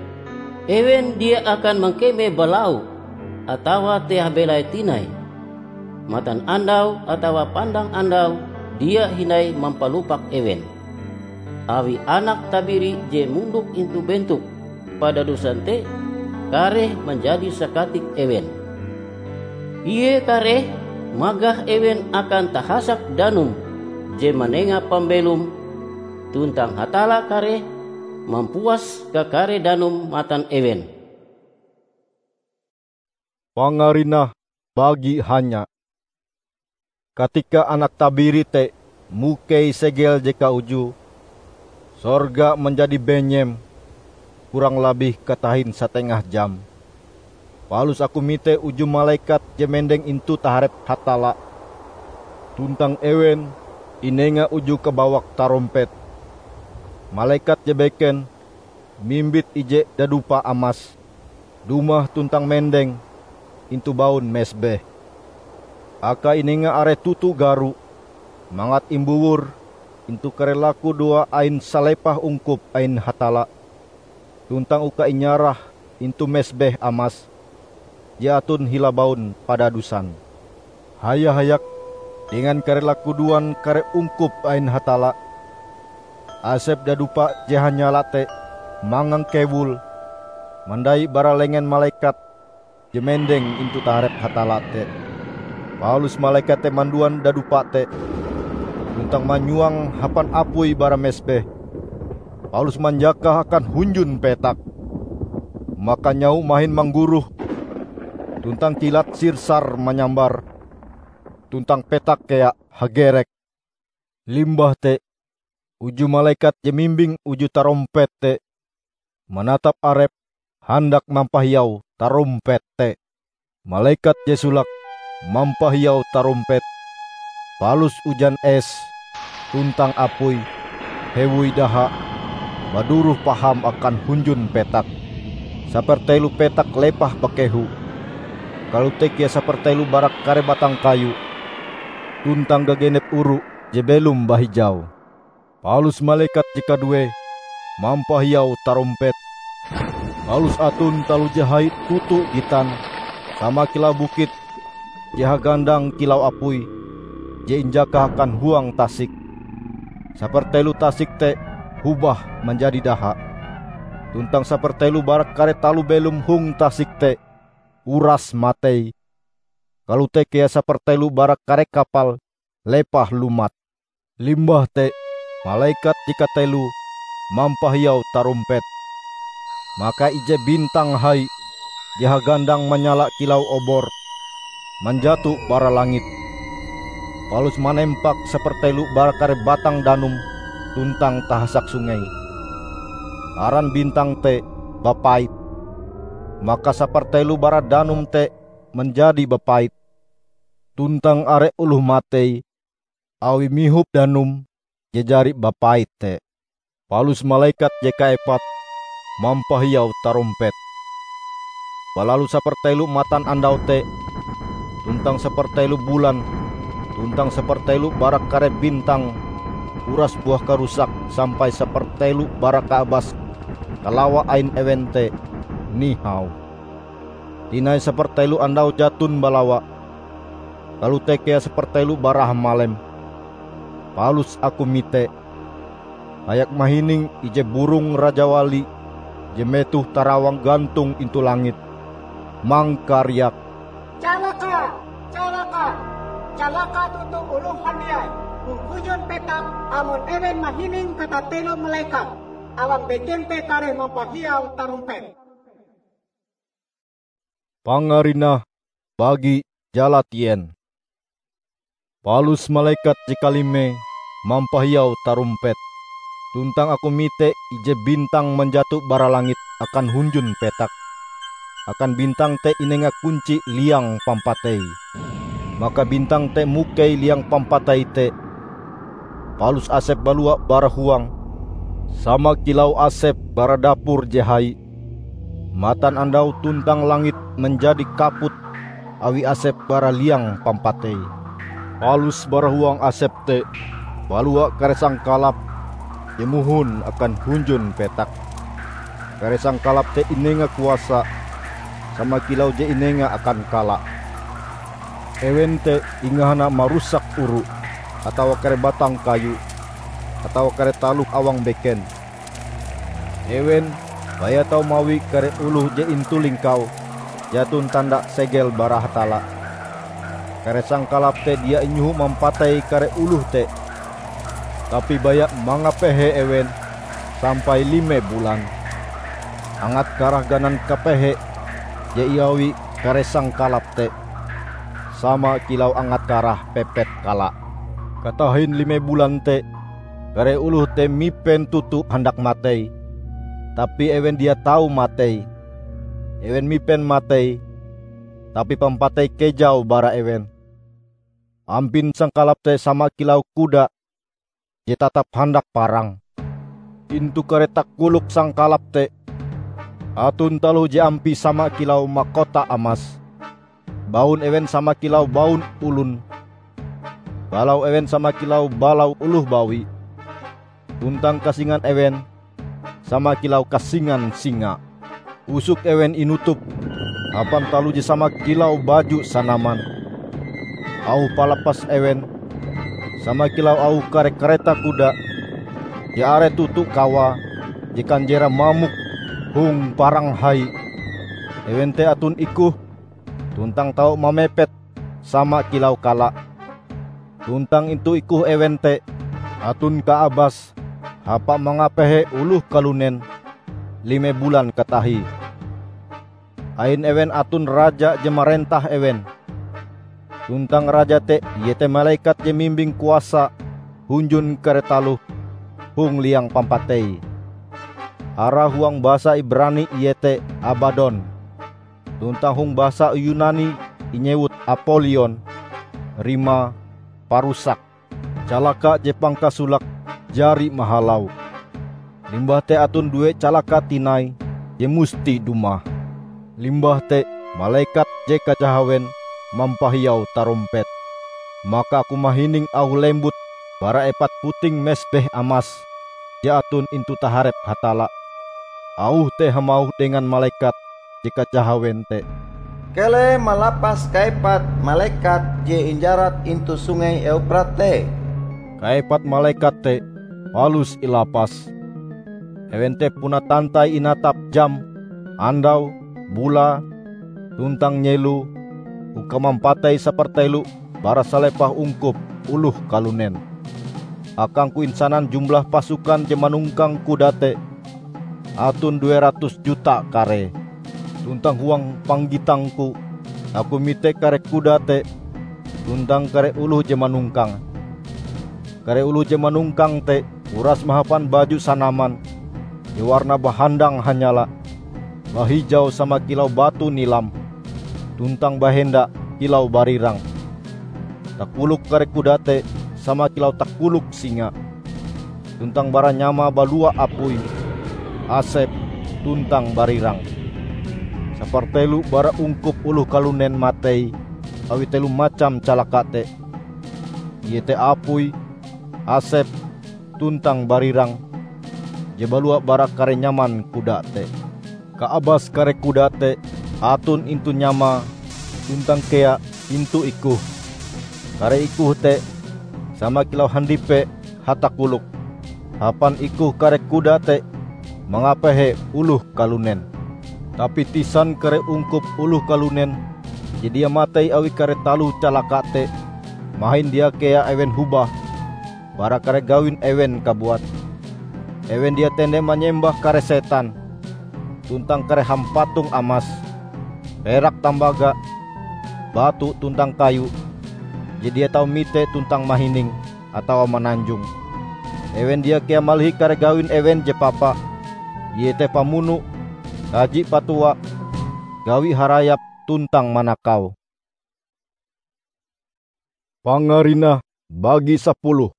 Ewen dia akan mangkeme balau atawa teah belai tinai. Matanandau atawa pandang andau dia hindai mampalupak ewen. Awi Anak Tabiri je mondok intu bentok padadusan te kareh manjadi sakatik ewen. Ie kareh magah ewen akan tahasak danum je manenga pambelom, tuntang Hatalla kareh mampuas kakare danum matan ewen." Pangarinah bagi hanya. Katika Anak Tabiri te mukei segel je kaujue, Sorga manjadi benyem kurang labih katahin satengah jam. Palus aku mite uju malekat je mendeng intu taharep Hatalla. Tuntang ewen inenga uju kabawak tarompet. Malekat je beken mimbit ije dadupa amas dumah tuntang mendeng intu baun mesbeh. Akae inenga are toto garo, mangat imbuwur intu kare lakudoa ain salepah ungkup ain Hatalla, tuntang uka inyarah intu mesbeh amas je aton hila baun padadusan. Haya-hayak dengan kare lakudoan kare ungkup ain Hatalla, asep dadupa je hanyala te mangangkewul mandai bara lengen malekat je mendeng intu taharep Hatalla te. Palus malekat te manduan dadupa te, tuntang manyuang hapan apui bara mesbeh, palus manjakah akan hunjun petak. Maka nyaho mahin manggoroh, tuntang kilat sirsar manyambar, tuntang petak kea hagerek. Limbah te, uju malekat je mimbing uju tarompet te manatap arepe handak mampahiau tarompet te. Malekat je solake mampahiau tarompet, palus ujan es tuntang apui hewoi daha baduroh paham akan hunjun petak. Sapertelo petak lepah bakehu, kalote kea sapertelo bara kare batang kayu, tuntang gagenep oru je belom bahijau. Palus malekat je kaduee mampahiau tarompet. Palus aton taloh je hai toto gitan, sama kilau bukit je hagandang kilau apui je injakah akan huang tasik. Sapertelo tasik te hobah manjadi daha, tuntang sapertelo bara kare taloh belom hong tasik te uras matei. Kalote kea sapertelo bara kare kapal lepah lumat. Limbah te, malekat je kateloe mampahiau tarompet. Maka ije bintang hai je hagandang manyala kilau obor manjato bara langit, palus manempak sapertelo bara kare batang danum tuntang tahasak sungei. Aran bintang te Bapait. Maka sapertelo bara danum te manjadi bapait, tuntang are oloh matei awi mihop danum je jari bapait te. Palus malekat je kaepat mampahiau tarompet. Balalu sapertelo matanandau te, tuntang sapertelo bulan, tuntang sapertelo bara kare bintang uras buah karusak sampai sapertelo bara kaabas kalawa ain ewen te nihau. Tinai sapertelo andau jaton balawa, kalote kea sapertelo bara hamalem. Palus aku mite, hayak mahining ije burong rajawali je metoh tarawang gantong intu langit, mangkariak, "Calaka! Calaka! Calaka toto oloh handiai hong hunjun petak amon ewen mahining katatelo malekat awang beken te kareh mampahiau tarompet!" Pangarinah bagi jalatien. Palus malekat je kalime mampahiau tarompet, tuntang aku mite ije bintang manjato bara langit akan hunjun petak, akan bintang te inenga kunci liang pampatei. Maka bintang te mukei liang pampatei te, palus asep balua bara huange, sama kilau asep bara dapur je hai. Matanandau tuntang langit manjadi kaput awi asep bara liang pampatei. Palus bara huang asep te balua kare sangkalap je mohon akan hunjun petak. Kare sangkalap te inenga kuasa sama kilau je inenga akan kala. Ewen te ingahana marusak oru, atawa kare batang kayu, atawa kare taloh awang beken. Ewen baya tau mawi kare oloh je intu lingkau jaton tanda segel bara Hatalla. Kare sangkalap te dia inyoho mampatei kare oloh te, tapi baya mangapehe ewen sampai lime bulan. Angat karah ganan kapehe je iawi kare sangkalap te, sama kilau angat karah pepet kala. Katahin lime bulan te, Kare oloh te mipen toto handak matei, tapi ewen dia tau matei. Ewen mipen matei, tapi pampatei kejau bara ewen. Ampin sangkalap te sama kilau kuda je tatap handak parang. Intu kare takolok sangkalap te, aton taloh je ampie sama kilau makota amas. Baun ewen sama kilau baun olon. Balau ewen sama kilau balau oloh bawi. Tuntang kasingan ewen sama kilau kasingan singa. Usok ewen inutup hapan taloh je sama kilau baju sanaman. Auh palapas ewen sama kilau auh kare kareta kuda je are toto kawae je kanjerae mamok hong parang hai. Ewen te aton ikoh tuntang tau mamepet sama kilau kala. Tuntang intu ikoh ewen te aton kaabas hapa mangapehe oloh kalunen lime bulan katahie. Ain ewen aton raja je marentah ewen. Tuntang raja te iete malekat je mimbing kuasa hunjun kare taloh hong liang pampatei. Arae huang basa Ibrani iete Abadon, tuntang hong basa Yunani inyewut Apolion, rimae parusak. Calaka je pangkasolake jari mahalau. Limbah te aton due calaka tinai je musti dumah. Limbah te malekat je kajahawen mampahiau tarompet. Maka aku mahining auh lembut bara epat puting mesbeh amas je aton intu taharep Hatalla. Auh te hamauh dengan malekat je kajahawen te, "Keleh malapas kaepat malekat je injarat intu Sungei Euprat te." Kaepat malekat te palus ilapas. Ewen te puna tantai inatap jam, andau, bulae, tuntang nyelo uka mampatei sapertelo bara salepah ungkup oloh kalunen. Akangku insanan jumlah pasukan je manongkang kuda te aton due ratus juta karee. Tuntang huang panggitangku, aku mite kare kuda te tuntang kare oloh je manongkange. Kare oloh je manongkang te uras mahapan baju sanaman je warnae bahandang hanyala, bahijau sama kilau batu nilam, tuntang bahenda kilau barirang. Takolok kare kuda te sama kilau takolok singa, tuntang bara nyamae balua apui, asep, tuntang barirang. Sapertelo bara ungkup oloh kalunen matei awi telo macam calaka te, iete apui, asep, tuntang barirang je balua bara kare nyaman kuda te. Kaabas kare kuda te aton intu nyamae tuntang kea intu ikoh. Kare ikoh te sama kilau handipe hatakolok. Hapan ikoh kare kuda te mangapehe oloh kalunen. Tapi tisan kare ungkup oloh kalunen je dia matei awi kare taloh calaka te, mahin dia kea ewen hobah bara kare gawin ewen kabuat. Ewen dia tende manyembah kare setan tuntang kare hampatong amas, perak tambaga, batu tuntang kayu je dia tau mite tuntang mahining atawa mananjong. Ewen dia kea malihi kare gawin ewen je papa, iete pamuno, kaji patuwa, gawi harayap tuntang manakau. Pangarinah bagi sapuluh.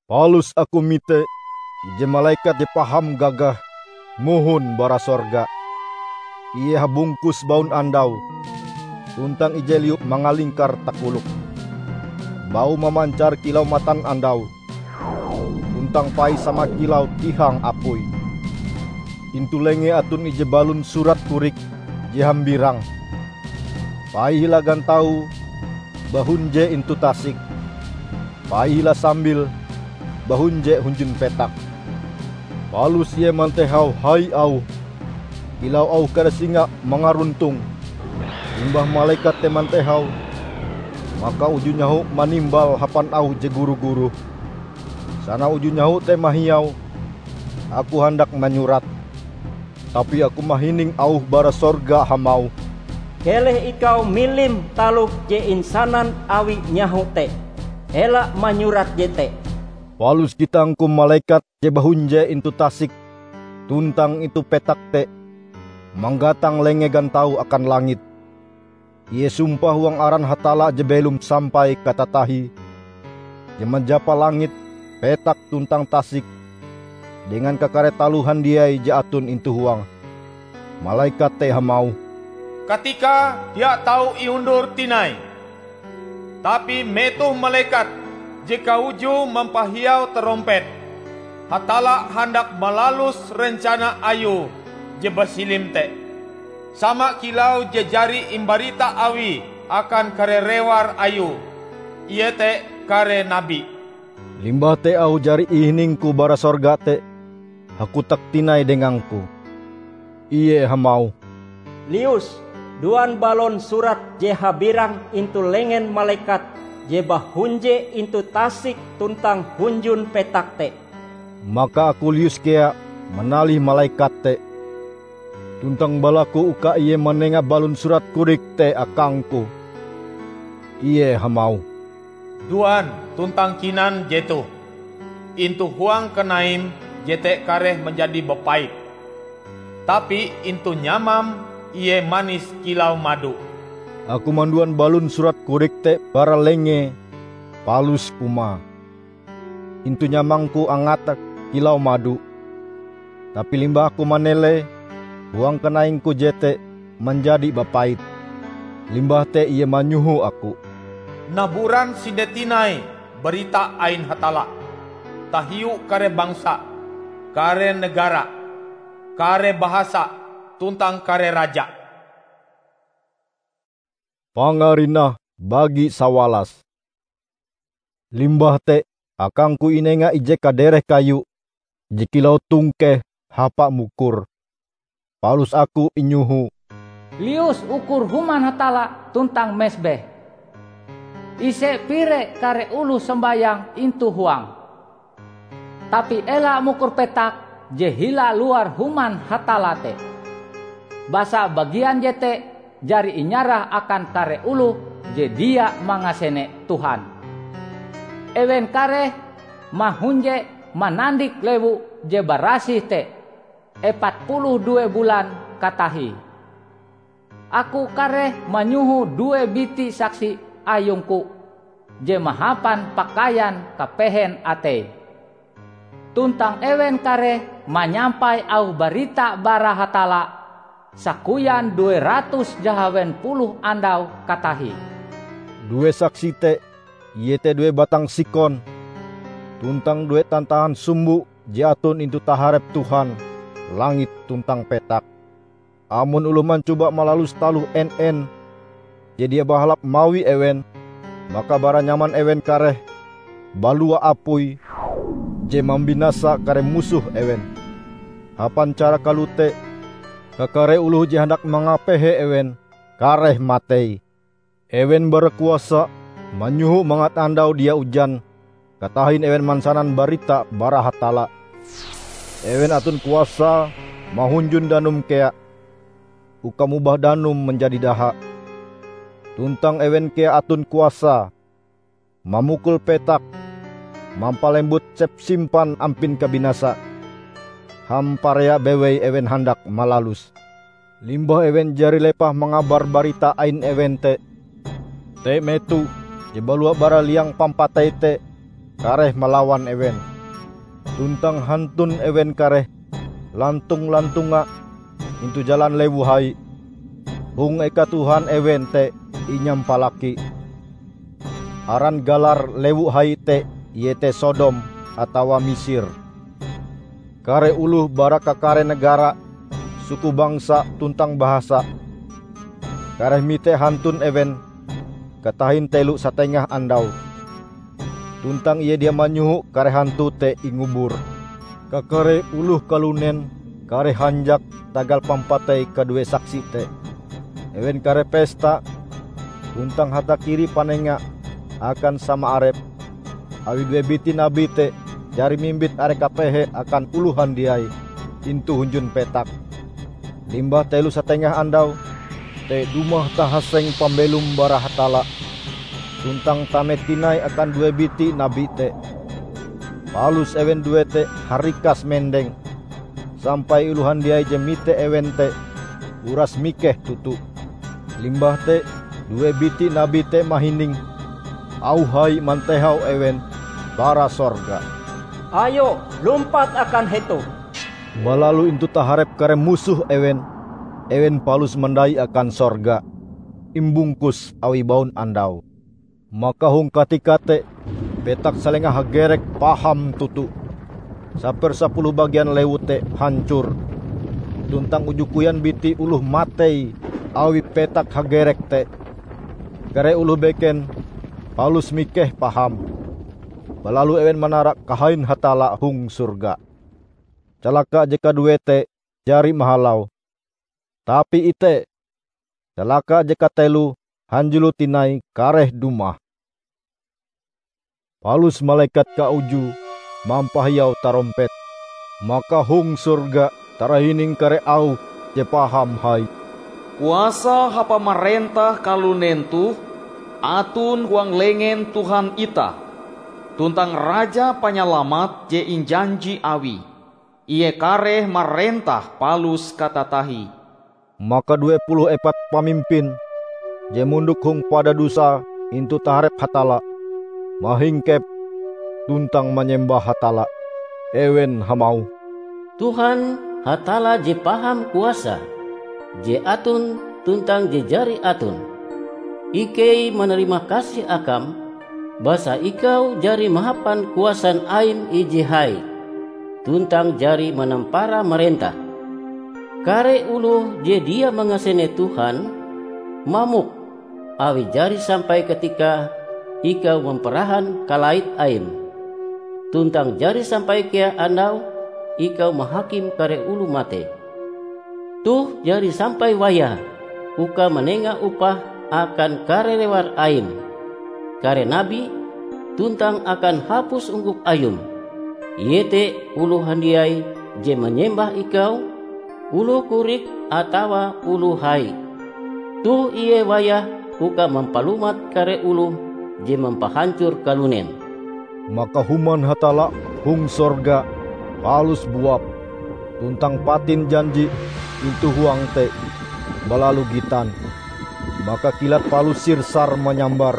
Palus aku mite ije malekat je paham gagah mohon bara sorga. Ie habungkus baun andau, tuntang ije liu mangalingkar takolok. Baue mamancar kilau matan andau, tuntang paie sama kilau tihang apui. Intu lengee aton ije balon surat korik je hambirang. Paie hila gantaue, bahunje intu tasik, paie hila sambil, bahunje hunjun petak. Palus ie mantehau hai auhe, kilau auh kare singa mangaruntong. Limbah malekat te mantehau, maka uju nyaho manimbal hapan auh je guru-guru. Sana uju nyaho te mahiau, aku handak manyurat. Tapi aku mahining auh bara sorga hamauh, "Keleh ikau milim taloh je insanan awi nyaho te. Ela manyurat jete. Palus gitangku malekat je bahunje intu tasik tuntang intu petak te manggatang lengee gantau akan langit. Ie sumpah huang aran Hatalla je belom sampai katatahie, je manjapa langit, petak tuntang tasik, dengan kakare taloh handiai je aton intu huange. Malekat te hamauh, "Katika dia tau iundur tinai, tapi metoh malekat je kaujue mampahiau tarompet, Hatalla handak malalus rencana Ayue je basilim te, sama kilau je jari imbarita Awie akan kare rewar Ayue, iete kare nabi." Limbah te auh jari ihiningku bara sorga te hakotak tinai dengangku. Ie hamauh, "Lius, duan balon surat je habirang intu lengen malekat je bahunje intu tasik tuntang hunjun petak te." Maka aku lius kea manalih malekat te, tuntang balaku uka ie manenga balon surat kodik te akangku. Ie hamauh, "Duan tuntang kinan jetoh. Intu huang kanaim jete kareh manjadi bapait, tapi intu nyamam ie manis kilau mado." Aku manduan balon surat kodik te bara lengee, palus kumae. Intu nyamangku angate kilau mado, tapi limbah aku manelee, huang kanaingku jete manjadi bapait. Limbah te ie manyoho aku, "Naburan sinde tinai barita ain Hatalla tahiu kare bangsa, kare negara, kare bahasa, tuntang kare raja." Pangarinah bagi sawalas. Limbah te, akangku inenga ije kadereh kayu je kilau tongkeh hapa mukur. Palus aku inyoho, "Lius ukur Human Hatalla tuntang mesbeh. Ise pire kare oloh sombayang intu huange. Tapi ela mukur petak je hila luar Human Hatalla te, basa bagian jete jari inyarah akan kare oloh je dia mangasene Tuhan. Ewen kareh mahunje manandik lewu je barasih te epat puluh due bulan katahie. Aku kareh manyoho due biti saksi ayungku je mahapan pakaian kapehen ateie, tuntang ewen kareh manyampai auh barita bara Hatalla sakoyan due ratus jahawen puluh andau katahie." Due saksi te, iete due batang sikon, tuntang due tantahan sumbo je aton intu taharep Tuhan langit tuntang petak. Amon oloh mancoba malalus taloh en-en je dia bahalap mawi ewen, maka bara nyaman ewen kareh balua apui je mambinasa kare musoh ewen. Hapan cara kalote, kakare oloh je handak mangapehe ewen kareh matei. Ewen barakuasa manyoho mangat andau dia ujan, katahin ewen mansanan barita bara Hatalla. Ewen aton kuasa mahunjun danum kea, uka mobah danum manjadi daha. Tuntang ewen kea aton kuasa mamukul petak, mampalembut sepsimpan ampin kabinasa, hamparea bewei ewen handak malaluse. Limbah ewen jari lepah mangabar barita ain ewen te, te meto je balua bara liang pampatei te kareh malawan ewen. Tuntang hantun ewen kareh lantong-lantonga intu jalan lewu hai, hong eka Tuhan ewen te inyampalaki. Aran galar lewu hai te iete Sodom atawa Misir. Kare oloh bara kakare negara, suku bangsa tuntang bahasa, kareh mite hantun ewen katahin telo satengah andau. Tuntang ie dia manyoho kare hantu te ingubur. Kakare oloh kalunen kareh hanjak tagal pampatei kadue saksi te. Ewen kareh pesta tuntang hatakiri panenga akan sama arep, awi due biti nabi te jari mimbit are kapehe akan oloh handiai intu hunjun petak. Limbah telo satengah andau te dumah tahaseng pambelom bara Hatalla tuntang tame tinai akan due biti nabi te. Palus ewen due te harikas mendeng, sampai oloh handiai je mite ewen te uras mikeh toto. Limbah te due biti nabi te mahining auh hai mantehau ewen bara sorga, "Ayo, lumpat akan hetoh!" Balalu intu taharep kare musoh ewen, ewen palus mandai akan sorga, imbungkus awi baun andau. Maka hong katika te, petak salenga hagerek paham toto. Sapersapuluh bagian lewu te hancor, tuntang uju koyan biti oloh matei awi petak hagerek te. Kare oloh beken palus mikeh paham. Balalu ewen manara kahain Hatalla hong sorga. Calaka je kaduee te jari mahalau. Tapi ite, calaka je kateloe hanjulo tinai kareh dumah. Palus malekat kaujue mampahiau tarompet. Maka hong sorga tarahining kare auh je paham hai, "Kuasa hapamarentah kalunen toh aton huang lengen Tuhan itah, tuntang Raja Panyalamat je injanji Awie. Ie kareh marentah palus katatahie." Maka due puluh epat pamimpin je mondok hong padadusae intu taharep Hatalla, mahingkep tuntang manyembah Hatalla. Ewen hamauh, "Tuhan, Hatalla je paham kuasa, je aton tuntang je jari aton, ikei manarima kasih akam, basa ikau jari mahapan kuasan aim ije hai, tuntang jari manampara marentah. Kare oloh je dia mangasene Tuhan, mamok awi jari sampai katika ikau mamparahan kalait aim, tuntang jari sampai kea andau ikau mahakim kare oloh matei. Toh jari sampai wayahe uka manenga upah akan kare rewar aim, kare nabi, tuntang akan hapus ungkup ayum, iete oloh handiai je manyembah ikau, oloh korik atawa oloh hai. Toh ie wayahe uka mampalumat kare oloh je mampahancor kalunen." Maka human Hatalla hong sorga palus buap, tuntang patin janji intu huang te balalu gitan. Maka kilat palus sirsar manyambar,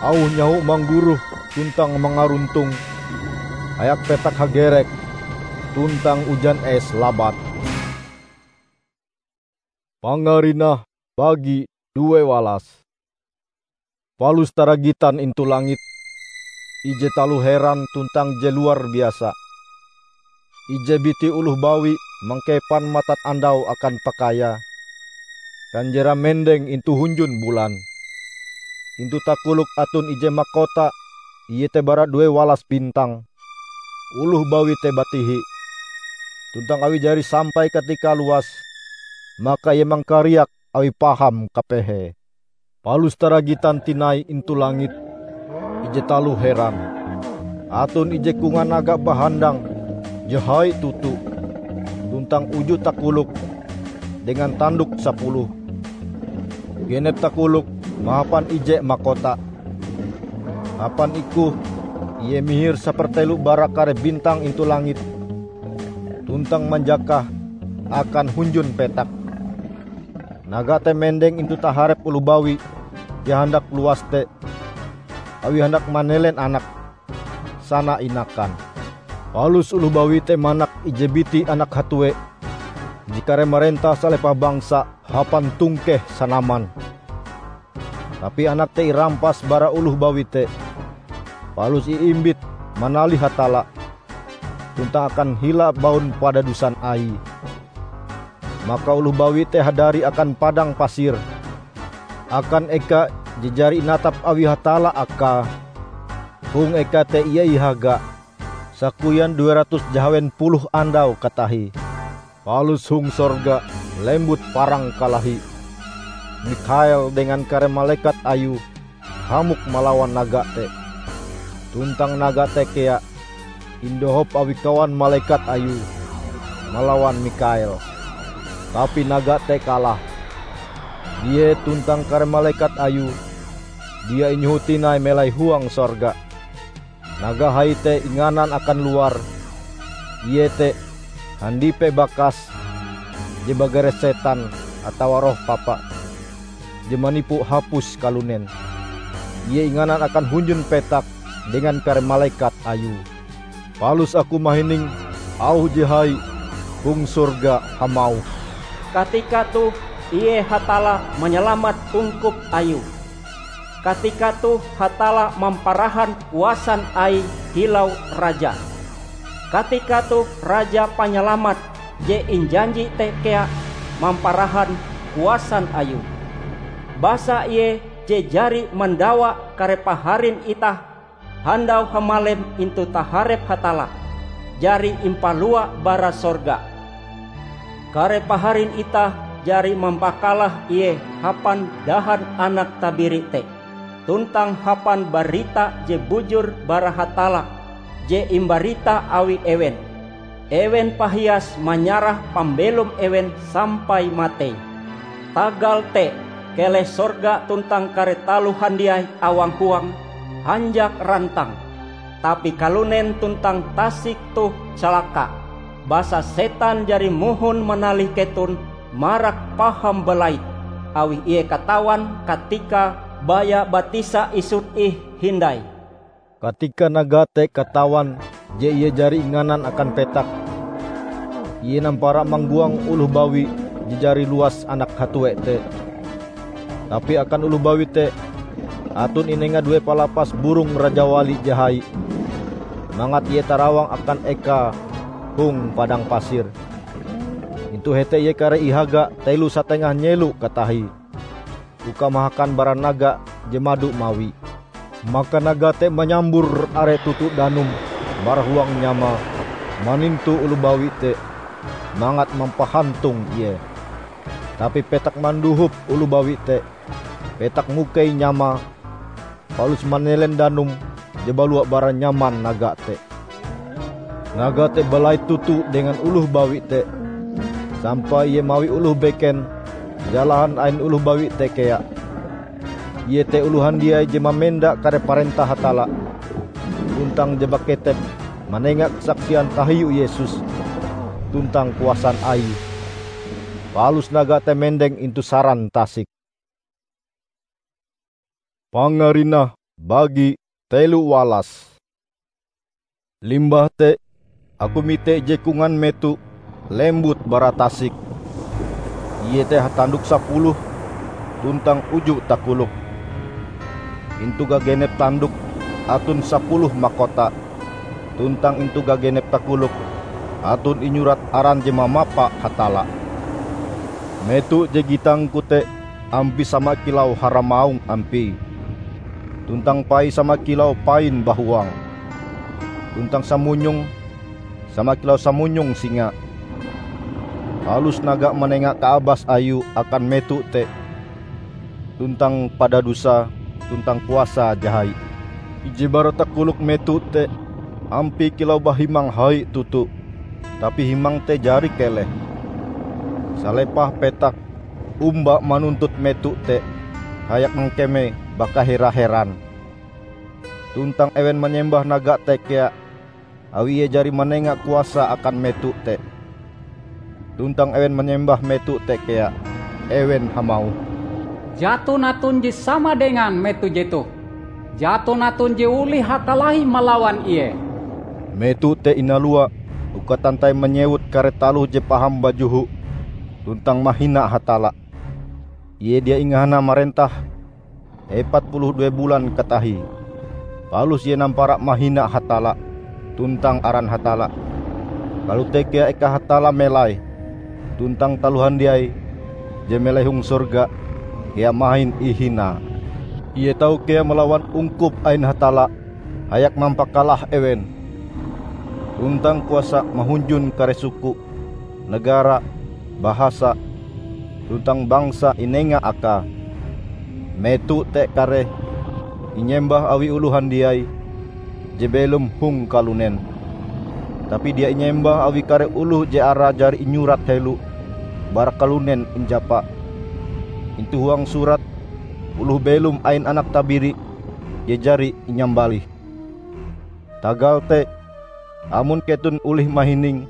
auh nyaho manggoroh tuntang mangaruntong, hayak petak hagerek, tuntang ujan es labat. Pangarinah bagi due walas. Palus taragitan intu langit ije taloh heran tuntang je luar biasa. Ije biti oloh bawi mangkepan matanandau akan pakaiae, kanjerae mendeng intu hunjun bulan. Intu takolok aton ije makota, iete bara due walas bintang. Oloh bawi te batihi, tuntang awi jari sampai katika luas, maka ie mangkariak awi paham kapehe. Palus taragitan tinai intu langit ije taloh heran. Aton ije kongan naga bahandang je hai toto, tuntang uju takolok dengan tandok sapuluh. Genep takolok mahapan ije makota. Hapan ikue ie mihir sapertelo bara kare bintang intu langit, tuntang manjakah akan hunjun petak. Naga te mendeng intu taharep oloh bawi je handak luas te, awi handak manelen anak sana inakan. Palus oloh bawi te manak ije biti anak hatue je kareh marentah salepah bangsa hapan tongkeh sanaman. Tapi anak te irampas bara oloh bawi te, palus iimbit manalih Hatalla, tuntang akan hila baun padadusan Aie. Maka oloh bawi te hadari akan padang pasir, akan eka je jari inatap awi Hatalla akae. Hong eka te ie ihaga, sakoyan due ratus jahawen puluh andau katahie. Palus hong sorga lembut parang kalahi. Mikhael dengan kare malekat ayue hamok malawan naga te. Tuntang naga te kea indohop awi kawan malekat ayue malawan Mikhael. Tapi naga te kalah. Ie tuntang kare malekat ayue dia inyoho tinai melai huang sorga. Naga hai te inganan akan luar, iete handipe bakas je bagare setan atawa roh papa, je manipu hapus kalunen. Ie inganan akan hunjun petak dengan kare malekat ayue. Palus aku mahining auh je hai hong sorga hamauh, "Katika toh ie Hatalla manyalamat ungkup Ayue! Katika toh Hatalla mamparahan kuasan Aie kilau Raja! Katika toh Raja Panyalamat je injanji te kea mamparahan kuasan Ayue! Basa Ie je jari mandawa kare paharin itah handau hamalem intu taharep Hatalla, jari impalua bara sorga. Kare paharin itah jari mampakalah Ie hapan dahan Anak Tabiri te, tuntang hapan barita je bujur bara Hatalla je imbarita awi ewen. Ewen pahias manyarah pambelom ewen sampai matei. Tagal te, keleh sorga tuntang kare taloh handiai awang-huang hanjak rantang, tapi kalunen tuntang tasik toh calaka, basa setan jari mohon manalih keton marak paham balait, awi ie katawan katika baya batisa isut ih hindai." Katika naga te katawan je ie jari inganan akan petak, ie nampara manggoang oloh bawi je jari luas anak hatue te. Tapi akan oloh bawi te, aton inenga due palapas burong rajawali je hai, mangat ie tarawang akan ekae hong padang pasir. Intu hete ie kareh ihaga telo satengah nyelo katahie, uka mahakan bara naga je mado mawi. Maka naga te manyambur are toto danum bara huang nyamae manintu oloh bawi te, mangat mampahantong ie. Tapi petak mandohop oloh bawi te. Petak mukei nyamae, palus manelen danum je balua bara nyaman naga te. Naga te balait toto dengan oloh bawi te, sampai ie mawi oloh beken jalahan ain oloh bawi te kea. Ie te oloh handiai je mamenda kare parentah Hatalla, tuntang je baketep manenga kasaksian tahiu Yesus tuntang kuasan Aie. Palus naga te mendeng intu saran tasik. Pangarinah bagi telo walas. Limbah te, aku mite ije kongan meto lembut bara tasik. Ie te hatandok sapuluh tuntang uju takolok. Intu gagenep tandok aton sapuluh makota, tuntang intu gagenep takolok aton inyurat aran je mamapa Hatalla. Meto je gitangku te ampie sama kilau haramaung ampie, tuntang paie sama kilau pain bahuang, tuntang samunyonge sama kilau samunyong singa. Palus naga manenga kaabas ayue akan meto te tuntang padadusae tuntang kuasae je hai. Ije bara takolok meto te ampie kilau bahimang hai toto, tapi himang te jari keleh. Salepah petak omba manuntut meto te hayak mangkeme bakahera-heran. Tuntang ewen manyembah naga te kea, awi ie jari manenga kuasa akan meto te. Tuntang ewen manyembah meto te kea. Ewen hamauh, "Jaton aton je sama dengan meto jetoh. Jaton aton je olih hakalahi malawan ie." Meto te inalua uka tantai manyewut kare taloh je paham bajoho tuntang mahina Hatalla. Ie dia ingahana marentah epat puluh due bulan katahie. Palus ie nampara mahina Hatalla tuntang aran Hatalla. Kalote kea eka Hatalla melai, tuntang taloh handiai je melai hong sorga kea mahin ihinae. Ie tau kea malawan ungkup ain Hatalla hayak mampakalah ewen, tuntang kuasa mahunjun kare suku, negara, bahasa, tuntang bangsa inenga akae. Meto te kareh inyembah awi oloh handiai je belom hong kalunen, tapi dia inyembah awi kare oloh je arae jari inyurat helo bara kalunen injapa. Intu huang surat oloh belom ain Anak Tabiri je jari inyambalih. Tagal te, amon keton olih mahining,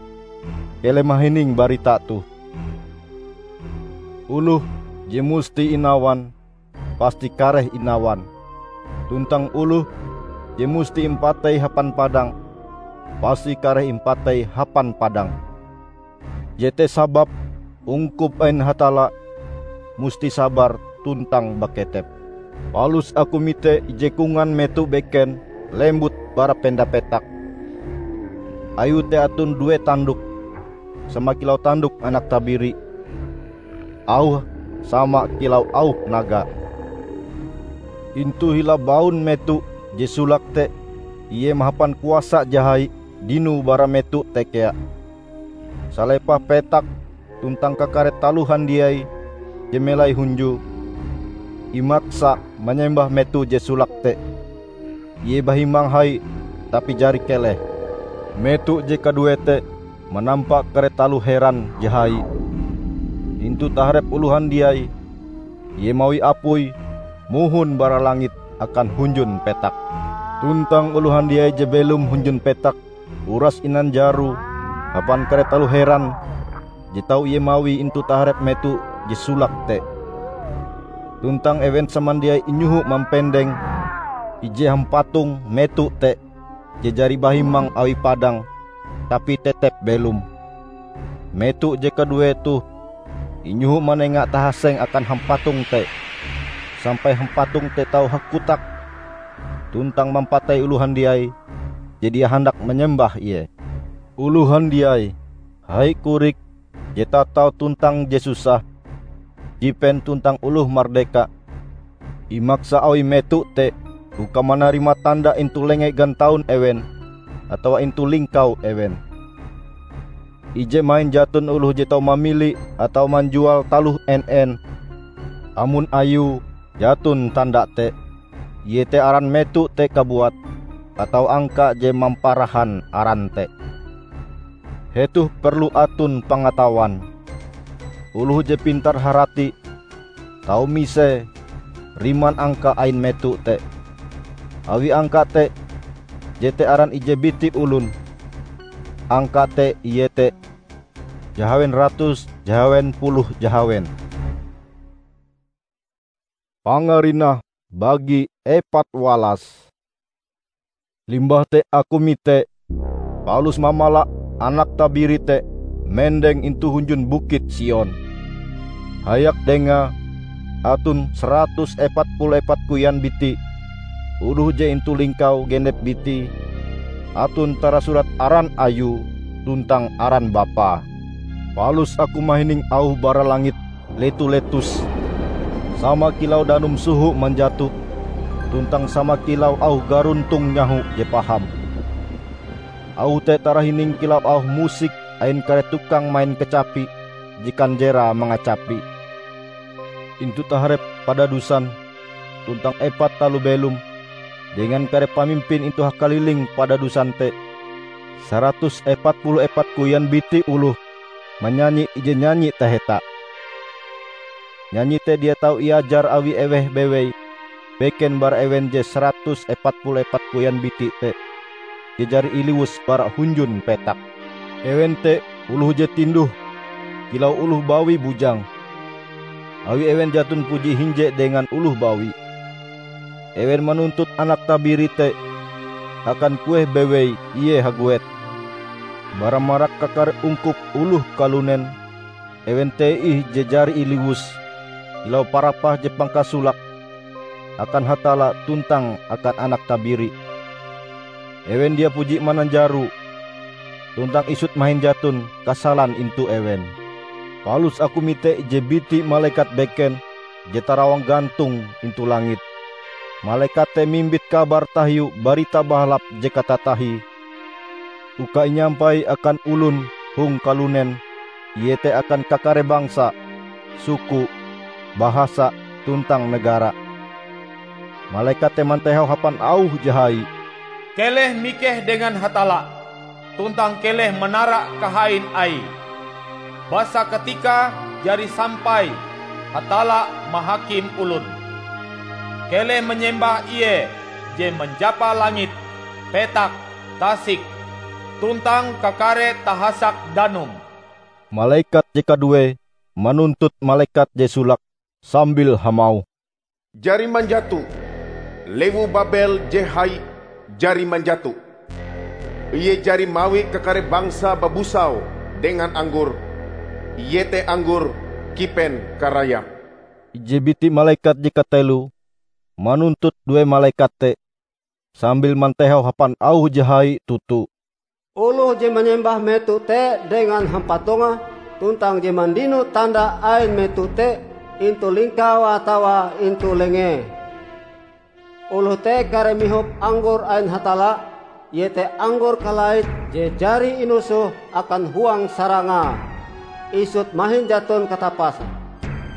keleh mahining barita toh: Oloh je musti inawan, pasti kareh inawan; tuntang oloh je musti impatei hapan padang, pasti kareh impatei hapan padang. Jete sababe ungkup ain Hatalla musti sabar tuntang baketep. Palus aku mite ije kongan meto beken lembut bara penda petak. Ayue te aton due tandok, sama kilau tandok anak tabiri, auhe sama kilau auh naga. Intu hila baun meto je solake te, ie mahapan kuasa je hai dinoe bara meto te kea. Salepah petak tuntang kakare taloh handiai je melai hunjue, imaksa manyembah meto je solake te. Ie bahimang hai, tapi jari keleh. Meto je kaduee te manampa kare taloh heran je hai. Intu taharep oloh handiai, ie mawi apui mohon bara langit akan hunjun petak. Tuntang oloh handiai je belom hunjun petak uras inanjaroe hapan kare taloh heran je tau ie mawie intu taharep meto je solake te. Tuntang ewen samandiai inyoho mampendeng ije hampatong meto te je jari bahimang awi padang, tapi tetep belom. Meto je kaduee toh inyoho manenga tahaseng akan hampatong te, sampai hampatong te tau hakotak tuntang mampatei oloh handiai je dia handak manyembah ie. Oloh handiai, hai korik je tatau tuntang je susah, jipen tuntang oloh mardeka, imaksa awi meto te uka manarima tanda intu lenge gantaun ewen atawa intu lingkau ewen. Ije mahin jaton oloh je tau mamili atawa manjual taloh en-en, amon ayue jaton tanda te, iete aran meto te kabuat, atawa angka je mamparahan aran te. Hetoh perlu aton pangatawan. Oloh je pintar-harati tau misee riman angka ain meto te. Awi angka te, jete aran ije biti olon. Angka te iete jahawen ratus jahawen puluh jahawen. Pangarinah bagi epat walas. Limbah te aku mite, palus mamala Anak Tabiri te mendeng intu hunjun Bukit Sion. Hayak dengae aton saratus epat puluh epat koyan biti oloh je intu lingkau genep bitie, aton tarasurat aran Ayue tuntang aran Bapae. Palus aku mahining auh bara langit leto-letos, sama kilau danum soho manjato, tuntang sama kilau auh garontong nyaho je paham. Auh te tarahining kilau auh musik ain kare tukang main kacapi je kanjerae mangacapi. Intu taharep padadusan tuntang epat taloh belom dengan kare pamimpin intu hakaliling padadusan te, saratus epat puluh epat koyan biti oloh manyanyi ije nyanyi taheta. Nyanyi te dia tau iajar awi eweh bewei beken bara ewen je saratus epat puluh epat koyan biti te je jari iliwus bara hunjun petak. Ewen te oloh je tinduh kilau oloh bawi bujang, awi ewen jaton puji hinje dengan oloh bawi. Ewen manuntut Anak Tabiri te akan kueh bewei ie haguet. Bara marak kakare ungkup oloh kalunen, ewen te ih je jari iliwus kilau parapah je pangkasolake akan Hatalla tuntang akan Anak Tabiri. Ewen dia puji mananjaro, tuntang isut mahin jaton kasalan intu ewen. Palus aku mite ije biti malekat beken je tarawang gantong intu langit. Malekat te mimbit kabar tahiu Barita Bahalap je katatahie uka inyampai akan olon hong kalunen, iete akan kakare bangsa, suku, bahasa, tuntang negara. Malekat te mantehau hapan auh je hai, "Keleh mikeh dengan Hatalla, tuntang keleh manara kahain Aie. Basa katikae jari sampai Hatalla mahakim olon. Keleh manyembah Ie je manjapa langit, petak, tasik, tuntang kakare tahasak danum." Malekat je kaduee manuntut malekat je solake sambil hamauh, "Jari manjato! Lewu Babel je hai jari manjato! Ie jari mawi kakare bangsa babusau dengan anggor, iete anggor kipen karayam." Ije biti malekat je kateloe manuntut due malekat te sambil mantehau hapan auh je hai toto, "Oloh je manyembah meto te dengan hampatongah tuntang je mandino tanda ain meto te intu lingkaue atawa intu lengee, oloh te kareh mihop anggor ain Hatalla, iete anggor kalait je jari inosoh akan huang sarangae, isut mahin jaton katapase.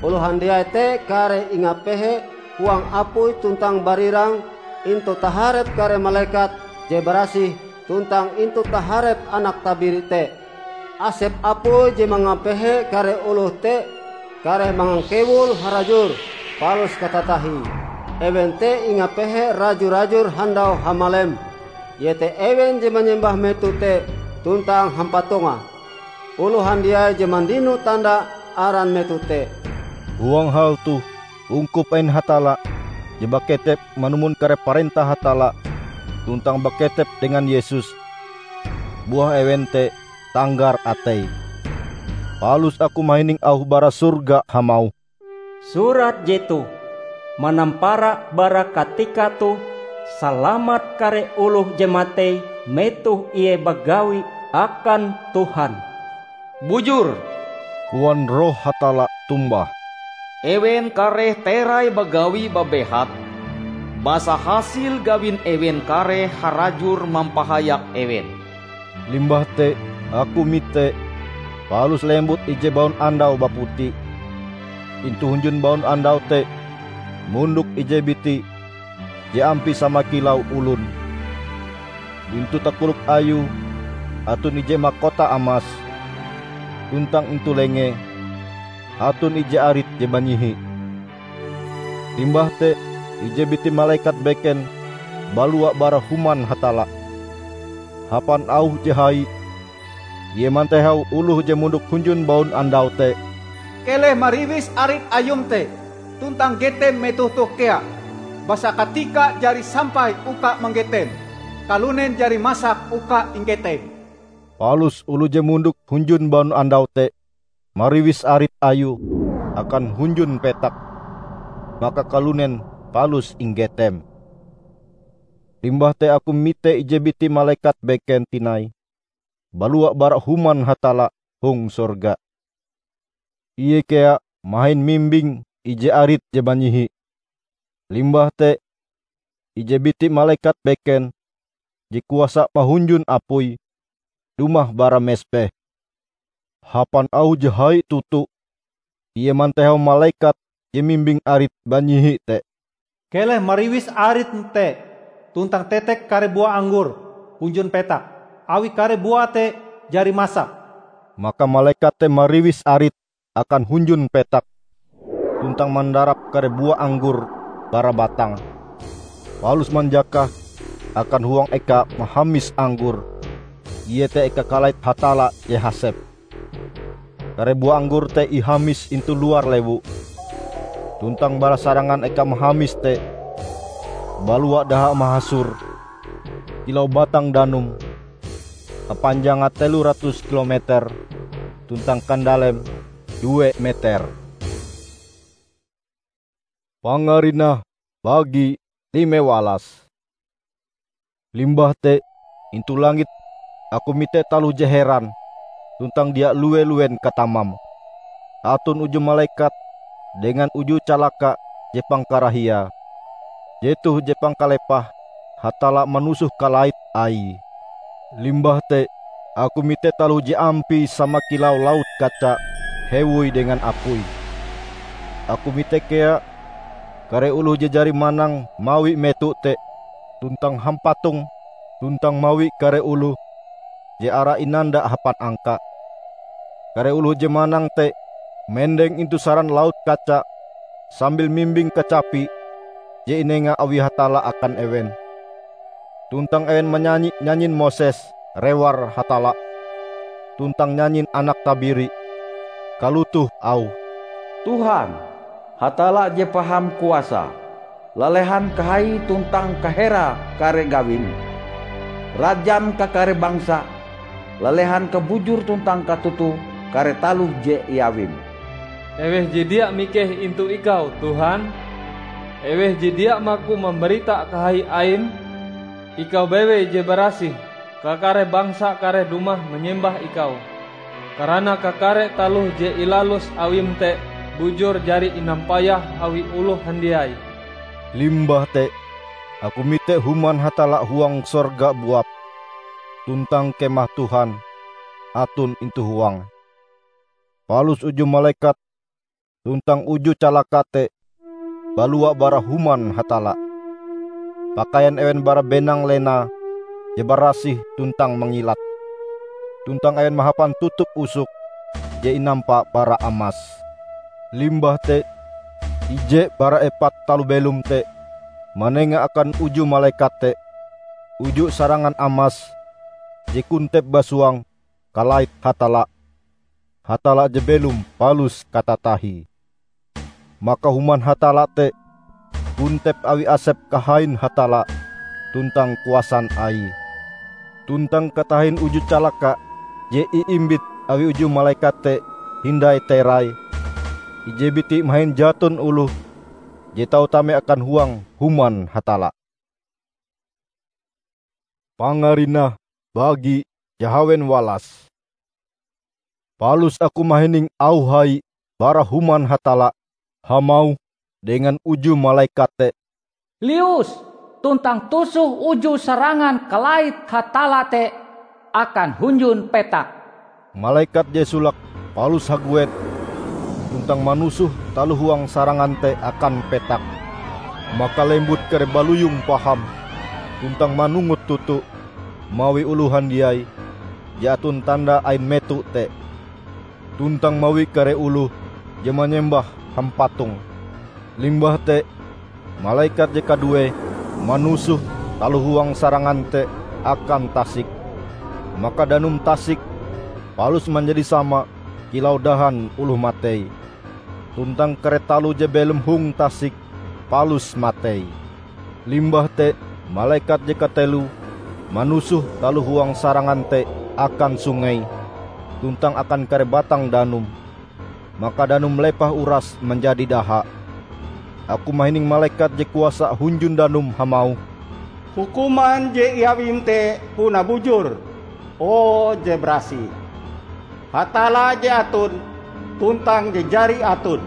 Oloh handiai te kareh ingapehe huang apui tuntang barirang intu taharep kare malekat je barasih tuntang intu taharep Anak Tabiri te. Asep apui je mangapehe kare oloh te kareh mangangkewul harajur palus katatahie. Ewen te ingapehe raju-rajur handau hamalem, iete ewen je manyembah meto te tuntang hampatongah, oloh handiai je mandino tanda aran meto te." Huang hal toh ungkup ain Hatalla je baketep manumon kare parentah Hatalla tuntang baketep dengan Yesus. Buah ewen te tanggar ateie. Palus aku mahining auh bara sorga hamauh, "Surat jetoh, 'Manampara bara katika toh, salamat kare oloh je matei metoh ie bagawi akan Tuhan.'" "Bujur," koan Roh Hatalla tombah, "ewen kareh terai bagawi babehat, basa hasil gawin ewen kareh harajur mampahayak ewen." Limbah te aku mite, palus lembut ije baunandau baputi. Intu hunjun baunandau te mondok ije biti je ampie sama kilau olon. Intu takolok ayue aton ije makota amas, tuntang intu lengee aton ije arit je banyihi. Limbah te ije biti malekat beken balua bara Human Hatalla. Hapan auh je hai, ie mantehau oloh je mondok hunjun baunandau te, "Keleh mariwis arit ayum te tuntang getem metoh toh kea, basa katika jari sampai uka manggetem, kalunen jari masak uka inggetem." Palus oloh je mondok hunjun baunandau te mariwis arit ayue akan hunjun petak, maka kalunen palus inggetem. Limbah te aku mite ije biti malekat beken tinai balua bara Human Hatalla hong sorga. Ie kea mahin mimbing ije arit je banyihi. Limbah te ije biti malekat beken je kuasa mahunjun apui dumah bara mesbeh. Hapan auh je hai toto, ie mantehau malekat je mimbing arit banyihi te, "Keleh mariwis arit te tuntang tetek kare bua anggor hunjun petak, awi kare buae te jari masak." Maka malekat te mariwis arit akan hunjun petak, tuntang mandarap kare bua anggor bara batange, palus manjakah akan huang eka mahamis anggor, iete eka kalait Hatalla je hasep. Kare bua anggor te ihamis intu luar lewu, tuntang bara sarangan eka mahamis te balua daha mahasor kilau batang danum, hapanjange telo ratus kilometer tuntang kandaleme due meter. Pangarinah bagi lime walas. Limbah te, intu langit aku mite taloh je heran tuntang dia lue-luen katamam. Aton uju malekat dengan uju calaka je pangkarahiae, jetoh je pangkalepahe Hatalla manusoh kalait Aie. Limbah te, aku mite taloh je ampie sama kilau laut kaca hewoi dengan apui. Aku mite kea kare oloh je jari manang mawi meto te tuntang hampatong tuntang mawi kare oloh je ara inanda hapan angka. Kare oloh je manang te mendeng intu saran laut kaca sambil mimbing kacapi je inenga awi Hatalla akan ewen. Tuntang ewen manyanyi nyanyin Moses rewar Hatalla, tuntang nyanyin Anak Tabiri, kalotoh auhe, "Tuhan, Hatalla je paham kuasa, lalehan kahai tuntang kahera kare gawim, rajan kakare bangsa, lalehan kabujur tuntang katoto kare taloh je iawim." Eweh je dia mikeh intu Ikau, Tuhan? Eweh je dia maku mambarita kahai Aim? Ikau bewei je barasih, kakare bangsa kareh dumah manyembah Ikau, karana kakare taloh je ilalus Awim te bujur jari inampayah awi oloh handiai. Limbah te aku mite Human Hatalla huang sorga buap, tuntang Kemah Tuhan aton intu huange. Palus uju malekat tuntang uju calaka te balua bara Human Hatalla. Pakaian ewen bara benang lena je barasih tuntang mangilat, tuntang ewen mahapan tutup usok je inampa bara amas. Limbah te ije bara epat taloh belom te manenga akan uju malekat te uju sarangan amas je kontep basuang kalait Hatalla, Hatalla je belom palus katatahie. Maka Human Hatalla te kontep awi asep kahain Hatalla tuntang kuasan Aie. Tuntang katahin uju calaka je iimbit awi uju malekat te hindai terai, ije biti mahin jaton oloh je tau tame akan huang Human Hatalla. Pangarinah bagi jahawen walas. Palus aku mahining auh hai bara Human Hatalla hamauh dengan uju malekat te, "Lius tuntang tusoh uju sarangan kalait Hatalla te akan hunjun petak." Malekat je solake palus haguet tuntang manusoh taloh huang sarangan te akan petak. Maka lembut kare baluyong paham tuntang manungut toto mawi oloh handiai je aton tanda ain meto te, tuntang mawi kare oloh je manyembah hampatong. Limbah te malekat je kaduee manusoh taloh huang sarangan te akan tasik. Maka danum tasik palus manjadi sama kilau dahan oloh matei, tuntang kare taloh je belom hong tasik palus matei. Limbah te malekat je kateloe manusoh taloh huang sarangan te akan sungei tuntang akan kare batang danum. Maka danum lepah uras manjadi daha. Aku mahining malekat je kuasa hunjun danum hamauh, "Hukuman je iawim te puna bujur, o je barasih! Hatalla je aton tuntang je jari aton!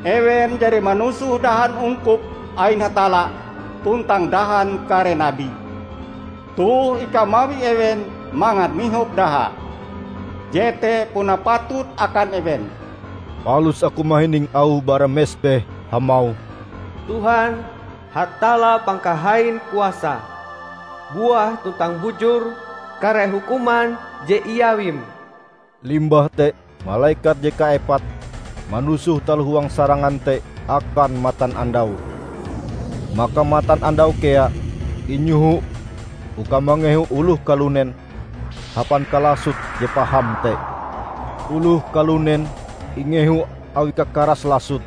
Ewen jari manusoh dahan ungkup ain Hatalla tuntang dahan kare nabi. Toh ikau mawi ewen mangat mihop daha. Jete puna patut akan ewen." Palus aku mahining auh bara mesbeh hamauh, "Tuhan, Hatalla pangkahain kuasa, buah tuntang bujur kare hukuman je iawim!" Limbah te malekat je kaepat manusoh taloh huang sarangan te akan matanandau. Maka matanandau kea inyoho uka mangehu oloh kalunen hapan kalasot je paham te. Oloh kalunen ingehu awi kakaras lasot,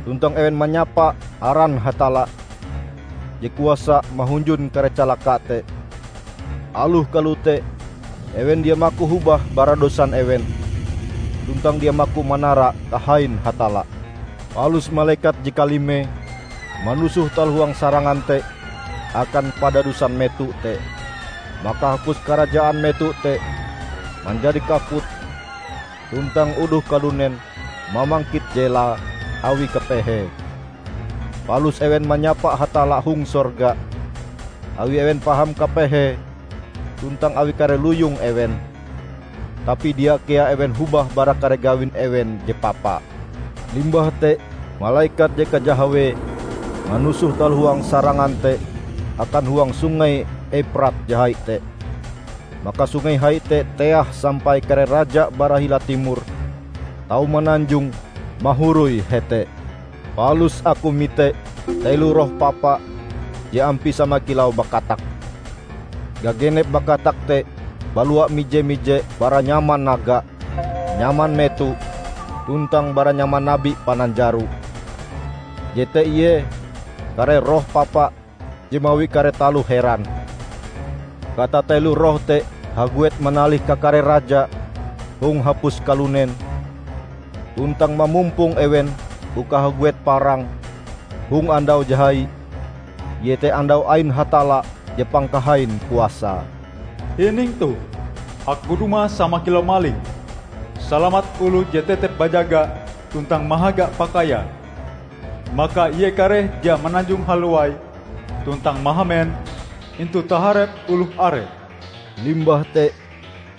tuntang ewen manyapa aran Hatalla je kuasa mahunjun kare calaka te. Aloh kalote, ewen dia maku hobah bara dosan ewen, tuntang dia maku manara kahain Hatalla. Palus malekat je kalimee manusoh taloh huang sarangan te akan padadusan meto te. Maka hapus karajaan meto te manjadi kaput, tuntang oloh kalunen mamangkit jelae awi kapehee. Palus ewen manyapa Hatalla hong sorga, awi ewen paham kapehee tuntang awi kare luyong ewen. Tapi dia kea ewen hobah bara kare gawin ewen je papa. Limbah te, malekat je kajahawee manusoh taloh huang sarangan te akan huang Sungei Euprat je hai te. Maka sungei hai te teah sampai kare raja bara hila timor tau mananjong mahoroi hete. Palus aku mite telo roh papa je ampie sama kilau bakatak. Gagenep bakatak te balua mije-mije bara nyaman naga, nyaman meto, tuntang bara nyaman nabi pananjaro. Jete ie kare roh papa je mawi kare taloh heran. Katatelo roh te haguet manalih kakare raja hong hapus kalunen, tuntang mamumpong ewen uka haguet parang hong andau je hai, iete andau ain Hatalla je pangkahain kuasae. Hining toh! Aku dumah sama kilau maling. Salamat oloh je tetep bajaga tuntang mahaga pakaiae, maka ie kareh dia mananjong haluai tuntang mahamen intu taharep oloh are. Limbah te,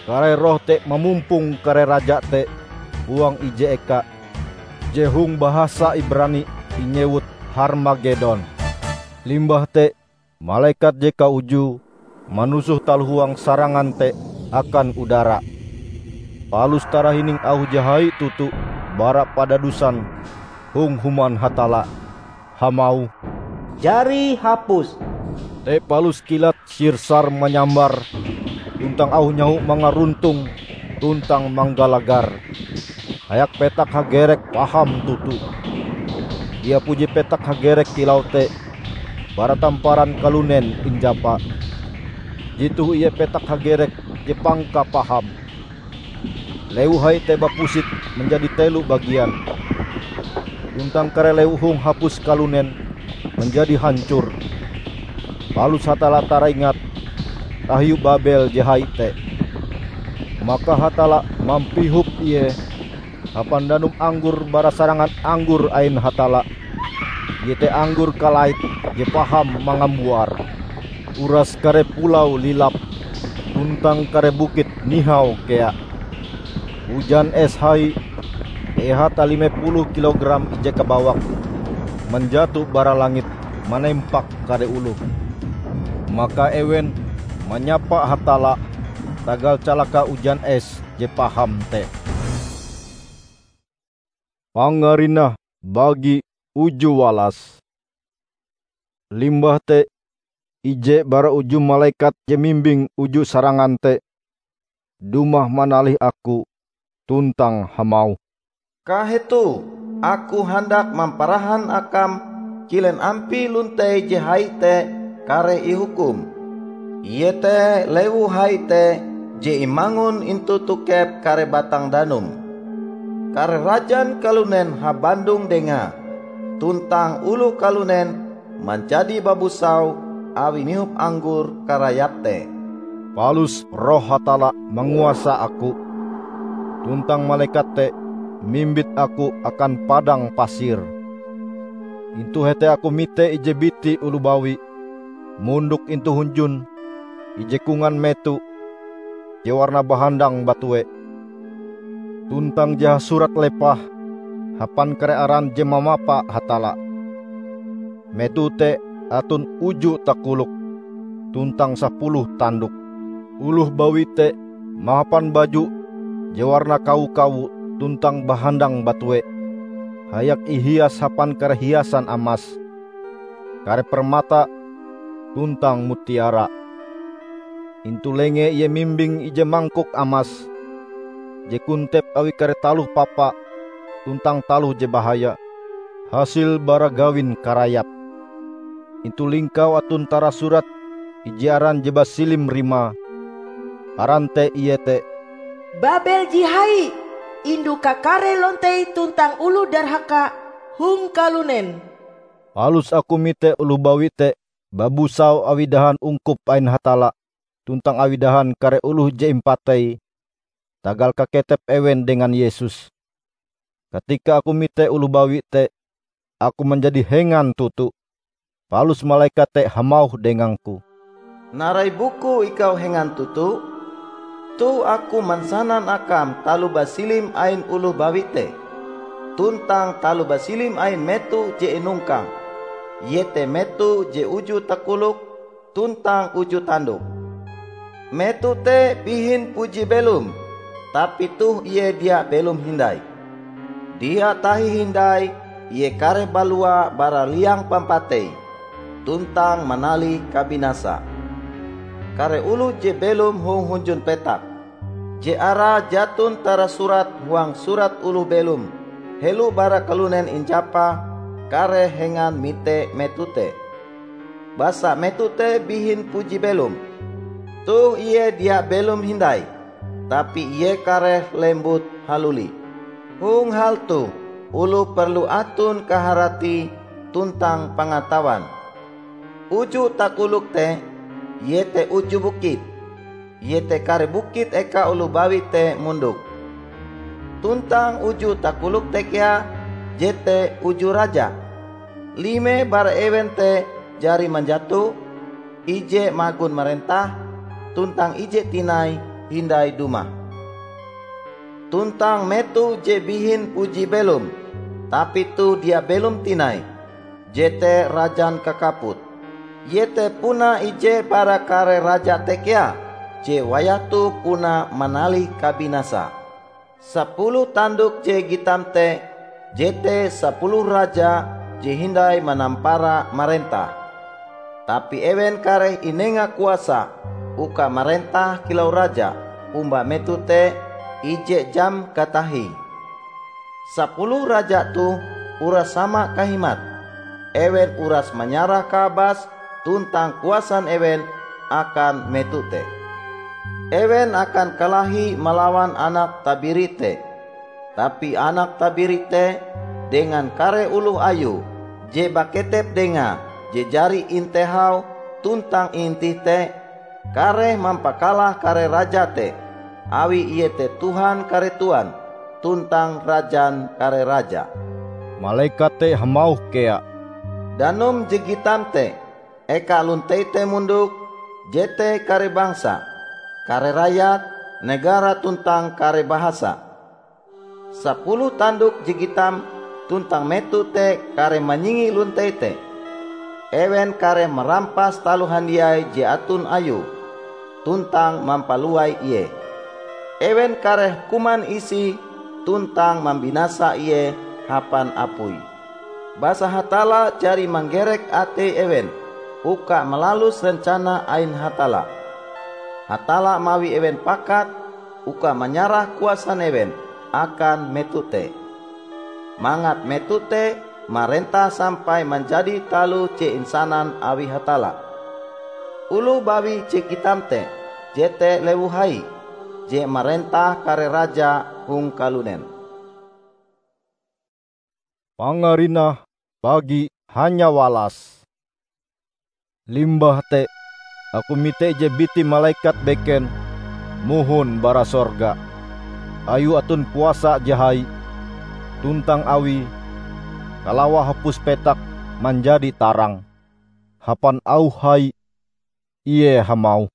kare roh te mamumpong kare raja te huang ije eka, je hong bahasa Ibrani inyewut Harmagedon. Limbah te, malekat je kaujue manusoh taloh huang sarangan te akan udara. Palus tarahining auh je hai toto bara padadusan hong Human Hatalla, hamauh, "Jari hapus!" Te palus kilat sirsar manyambar, tuntang auh nyaho mangaruntong tuntang manggalagar, hayak petak hagerek paham toto. Dia puji petak hagerek kilau te bara tamparan kalunen injapa. Jetoh ie petak hagerek je pangkapaham. Lewu hai te bapusit manjadi telo bagian, tuntang kare lewu hong hapus kalunen manjadi hancor. Palus Hatalla taraingat tahiu Babel je hai te. Maka Hatalla mampihop ie hapan danum anggor bara sarangan anggor ain Hatalla, iete anggor kalait je paham mangambuar. Uras kare pulau lilap, tuntang kare bukit nihau kea. Ujan es hai, eha talime puluh kilogram ije kabawak, manjato bara langit manempak kare oloh. Maka ewen manyapa Hatalla tagal calaka ujan es je paham te. Pangarinah bagi uju walas. Limbah te, ije bara uju malekat je mimbing uju sarangan te dumah manalih aku tuntang hamauh, "Kahetoh, aku handak mamparahan akam kilen ampie lontei je hai te kareh ihukum, iete lewu hai te je imangun intu tokep kare batang danum. Kare rajan kalunen habandong dengae, tuntang oloh kalunen manjadi babusau awi mihop anggor karayap te." Palus Roh Hatalla manguasa aku, tuntang malekat te mimbit aku akan padang pasir. Intu hete aku mite ije biti oloh bawi, mondok intu hunjun ije kongan meto je warnae bahandang batue, tuntang je hasurat lepah hapan kare aran je mamapa Hatalla. Meto te aton uju takolok tuntang sapuluh tandok. Oloh bawi te mahapan baju je warnae kawo-kawo tuntang bahandang batue, hayak ihias hapan kare hiasan amas, kare permata, tuntang mutiara. Intu lengee ie mimbing ije mangkok amas je kontep awi kare taloh papa tuntang taloh je bahaya, hasil bara gawin karayap. Intu lingkaue aton tarasurat ije aran je basilim rimae. Aran te iete, "Babel je hai, indu kakare lontei tuntang oloh darhaka hong kalunen." Palus aku mite oloh bawi te babusau awi dahan ungkup ain Hatalla tuntang awi dahan kare oloh je impateie tagal kaketep ewen dengan Yesus. Katika aku mite oloh bawi te, aku manjadi hengan toto. Palus malekat te hamauh dengangku, "Narai bukue ikau hengan toto? Toh aku mansanan akam taloh basilim ain oloh bawi te, tuntang taloh basilim ain meto je inongkang, iete meto je uju takolok tuntang uju tandok. Meto te bihin puji belom, tapi toh ie dia belom hindai. Dia tahi hindai ie kareh balua bara liang pampatei, tuntang manalih kabinasa. Kare oloh je belom hong hunjun petak, je arae jaton tarasurat huang surat oloh belom, helo bara kalunen injapa kare hengan mite meto te. Basa meto te bihin puji belom. Toh ie dia belom hindai, tapi ie kareh lembut haluli. Hong hal toh, oloh perlu aton kaharatie tuntang pangatawan. Uju takolok te, iete uju bukit, iete kare bukit eka oloh bawi te mondok. Tuntang uju takolok te kea, jete uju raja. Lime bara ewen te jari manjato, ije magon marentah, tuntang ije tinai hindai dumah. Tuntang meto je bihin puji belom, tapi toh dia belom tinai, jete rajan kakaput. Iete puna ije bara kare raja te kea, je wayah toh puna manalih kabinasa. Sapuluh tandok je gitam te, jete sapuluh raja je hindai manampara marentah. Tapi ewen kareh inenga kuasa uka marentah kilau raja omba meto te ije jam katahie. Sapuluh raja toh uras sama kahimat. Ewen uras manyarah kaabas tuntang kuasan ewen akan meto te. Ewen akan kalahi malawan anak tabiri te. Tapi anak tabiri te dengan kare oloh ayue je baketep dengae je jari intehau tuntang iintih te, kareh mampakalah kare raja te, awi ie te Tuhan kare tuan tuntang Rajan kare raja. Malekat te hamauh kea, "Danum je gitam te, eka lontei te mondok, jete kare bangsa, kare rayat, negara tuntang kare bahasa." Sapuluh tandok je gitam tuntang meto te kareh manyingi lontei te. Ewen kareh marampas taloh handiai je aton ayue, tuntang mampaluai ie. Ewen kareh kuman isie tuntang mambinasa ie hapan apui. Basa Hatalla jari manggerek atei ewen uka malalus rencana ain Hatalla. Hatalla mawi ewen pakat uka manyarah kuasan ewen akan meto te, mangat meto te marentah sampai manjadi taloh je insanan awi Hatalla. Oloh bawi je gitam te, jete lewu hai, je marentah kare raja hong kalunen. Pangarinah pagi hanyawalas. Limbah te, aku mite ije biti malekat beken mohon bara sorga. Ayue aton kuasa je hai, tuntang awie kalawae hapus petak manjadi tarang. Hapan auh hai, ie hamauh,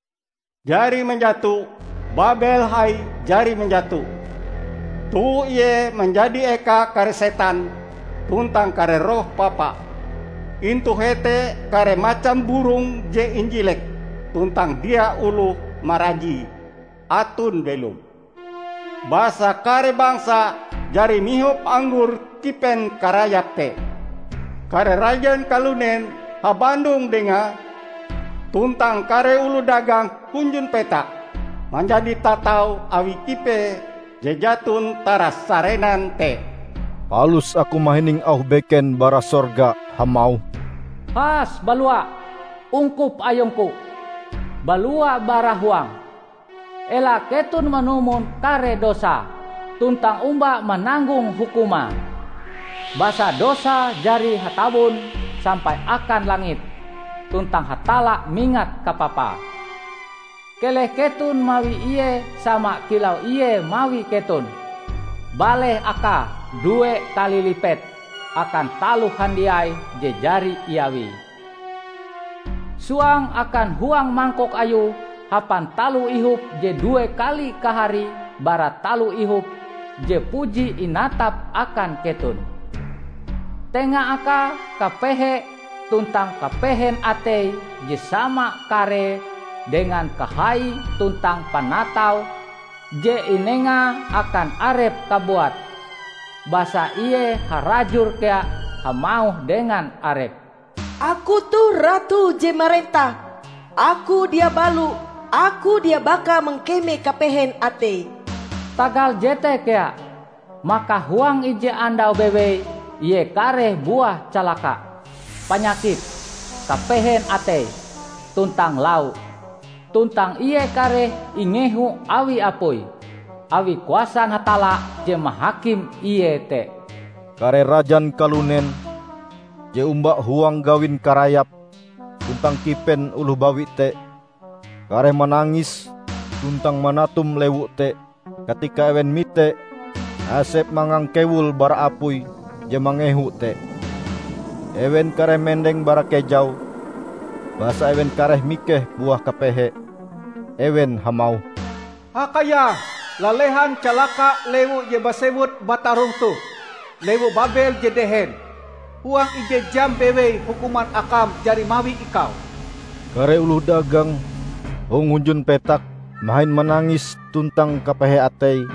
"Jari manjato! Babel hai jari manjato! Toh ie manjadi eka kare setan tuntang kare roh papa. Intu hete kare macam burong je injilek tuntang dia oloh marajie aton belom. Basa kare bangsa jari mihop anggor kipen karayap te. Kare rajan kalunen habandong dengae, tuntang kare oloh dagang hunjun petak manjadi tatau awi kipe je jaton taras sarenan te." Palus aku mahining auh beken bara sorga hamauh, "Has balua, ungkup ayungku! Balua bara huang! Ela keton manumon kare dosa, tuntang omba mananggong hukumae. Basa dosa jari hatabon sampai akan langit, tuntang Hatalla mingat kapapae. Keleh keton mawi ie sama kilau ie mawi keton, baleh akae due kali lipet akan taloh handiai je jari iawie. Suang akan huang mangkok ayue hapan taloh ihop je due kali kaharie bara taloh ihop je puji inatap akan keton. Tenga akae kapehe tuntang kapehen atei je sama karee dengan kahai tuntang panatau je inengae akan arepe kabuat, basa ie harajur kea hamauh dengan arepe, "Aku toh Ratu je marentah! Aku dia balo, aku dia baka mangkeme kapehen atei." Tagal jete kea, maka huang ije andau bewei ie kareh buah calaka, panyakit, kapehen atei, tuntang lau. Tuntang ie kareh ingehu awi apui, awi kuasan Hatalla je mahakim ie te. Kare rajan kalunen je omba huang gawin karayap tuntang kipen oloh bawi te, kareh manangis tuntang manatum lewu te katika ewen mite asep mangangkewul bara apui je mangehu te. Ewen kareh mendeng bara kejau, basa ewen kareh mikeh buah kapehe. Ewen hamauh, "Hakayah, lalehan calaka lewu je basewut batarong toh, lewu Babel je dehen! Huang ije jam bewei hukuman akam jari mawi ikau!" Kare oloh dagang hong hunjun petak mahin manangis tuntang kapehe ateie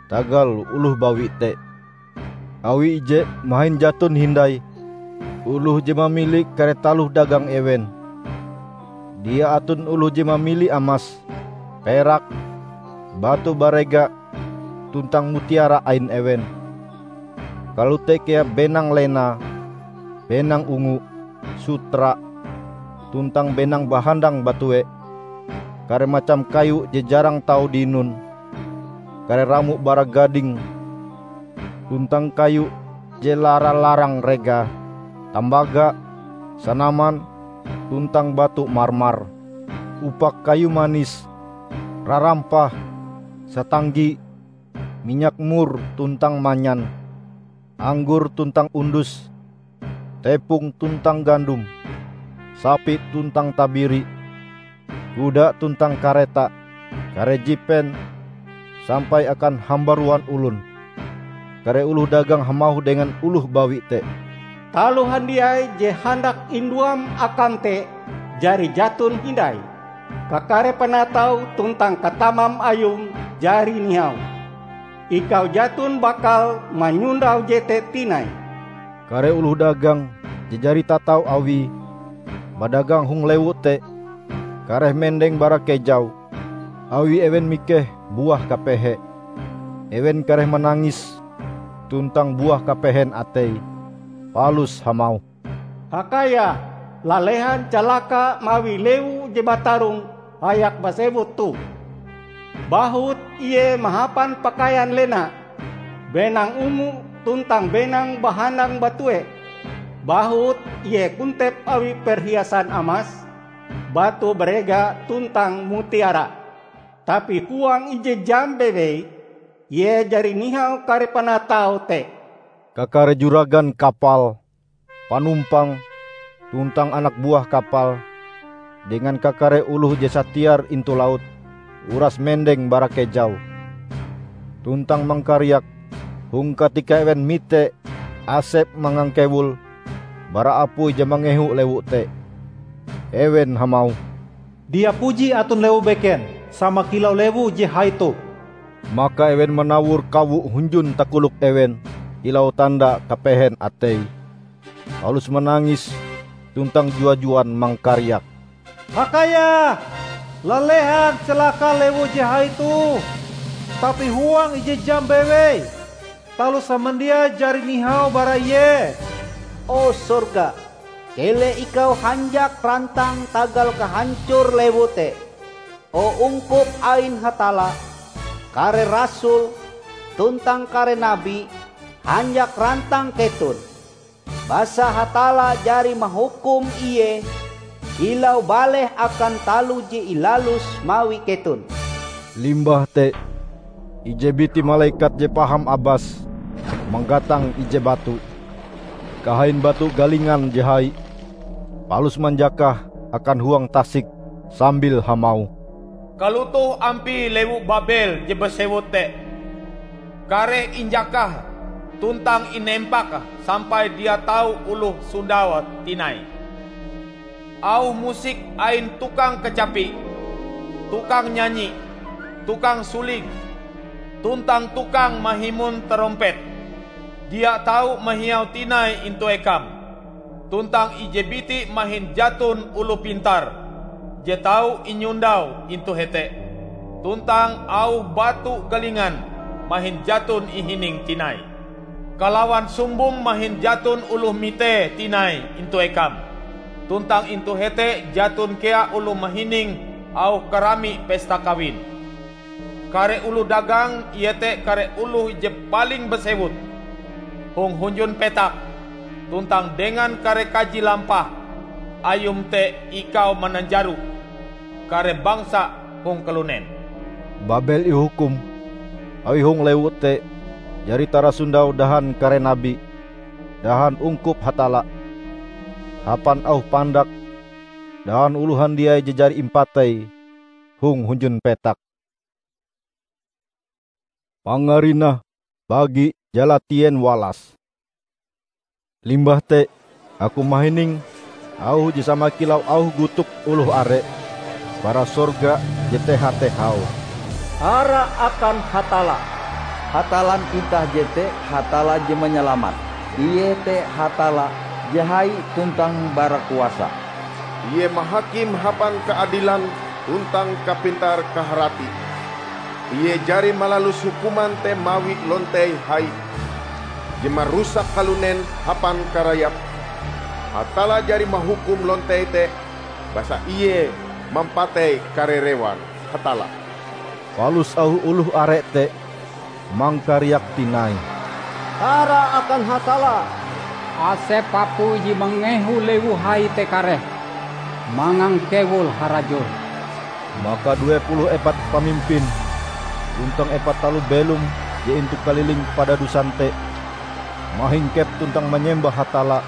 tagal oloh bawi te. Awi ije mahin jaton hindai oloh je mamili kare taloh dagang ewen. Dia aton oloh je mamili amas, perak, batu barega, tuntang mutiara ain ewen. Kalote kea benang lena, benang ungu, sutra, tuntang benang bahandang batue, kare macam kayu je jarang tau dinon, kare ramo bara gading, tuntang kayu je lara-larang regae, tambaga, sanaman, tuntang batu marmar, upak kayu manis, rarampah, satanggi, minyak mur tuntang manyan, anggor tuntang undus, tepong tuntang gandom, sapi tuntang tabiri, kuda tuntang kareta, kare jipen, sampai akan hambaruan olon. Kare oloh dagang hamauh dengan oloh bawi te, "Taloh handiai je handak induam akam te jari jaton hindai. Kakare panatau tuntang katamam ayum jari nihau. Ikau jaton bakal manyondau jete tinai." Kare oloh dagang je jari tatau awie badagang hong lewu te, kareh mendeng bara kejau, awi ewen mikeh buah kapehe. Ewen kareh manangis tuntang buah kapehen ateie, palus hamauh, "Hakayah, lalehan calaka mawi lewu je batarong hayak basewut toh! Bahut ie mahapan pakaian lena, benang ungu tuntang benang bahandang batue. Bahut ie kontep awi perhiasan amas, batu barega tuntang mutiara. Tapi huang ije jam bewei, ie jari nihau kare panatau te." Kakare juragan kapal, panumpang, tuntang anak buah kapal, dengan kakare oloh je satiar intu laut, uras mendeng bara kejau, tuntang mangkariak hong katika ewen mite asep mangangkewul bara apui je mangehu lewu te. Ewen hamauh, "Dia puji aton lewu beken sama kilau lewu je hai toh!" Maka ewen manawor kawo hunjun takolok ewen kilau tanda kapehen ateie, palus manangis tuntang jua-juan mangkariak, "Hakayah, lalehan calaka lewu je hai toh! Tapi huang ije jam bewei, taloh samandiai jari nihau bara ie." "O sorga, keleh ikau hanjak rantang tagal kahancor lewu te! O ungkup ain Hatalla, kare rasul, tuntang kare nabi hanjak rantang keton! Basa Hatalla jari mahukum ie kilau baleh akan taloh je ilaluse mawi keton." Limbah te, ije biti malekat je paham abas manggatang ije batu, kahain batu galingan je hai, palus manjakah akan huang tasik sambil hamauh, "Kalotoh ampie lewu Babel je basewut te! Kareh injakah tuntang inempak sampai dia tau oloh sondaue tinai. Auh musik ain tukang kacapi, tukang nyanyi, tukang suling, tuntang tukang mahimun tarompet dia tau mahiau tinai intu ekam. tuntang ije biti mahin jaton oloh pintar je tau inyondau intu hete, tuntang auh batu galingan mahin jaton ihining tinai. Kalawan sumbong mahin jaton oloh mitee tinai intu ekam, tuntang intu hete jaton kea oloh mahining auh karami pesta kawin. Kare oloh dagang, iete kare oloh je paling basewut, hong hunjun petak, tuntang dengan kare kaji lampah ayum te ikau mananjaro kare bangsa hong kalunen." Babel ihukum awi hong lewu te jari tarasondau dahan kare nabi, dahan ungkup Hatalla, hapan auh pandak, dahan oloh handiai je jari impatei hong hunjun petak. Pangarinah bagi jalatien walas. Limbah te, aku mahining auh je sama kilau auh gotok oloh are bara sorga je teha-teha, "Tara akan Hatalla! Hatallan itah jete Hatalla je manyalamat. Ie te Hatalla je hai tuntang barakuasa. Ie mahakim hapan kaadilan tuntang kapintar-kaharati. Ie jari malalus hukuman te mawi lontei hai je marusak kalunen hapan karayap. Hatalla jari mahukum lontei te, basa Ie mampatei kare rewar Hatalla." Palus auh oloh are te mangkariak tinai, "Tara akan Hatalla! Asep apui je mangehu lewu hai te kareh, mangang kewul harajur!" Maka due puluh epat pamimpin tuntang epat taloh belom je intu kaliling padadusan te mahingkep tuntang manyembah Hatalla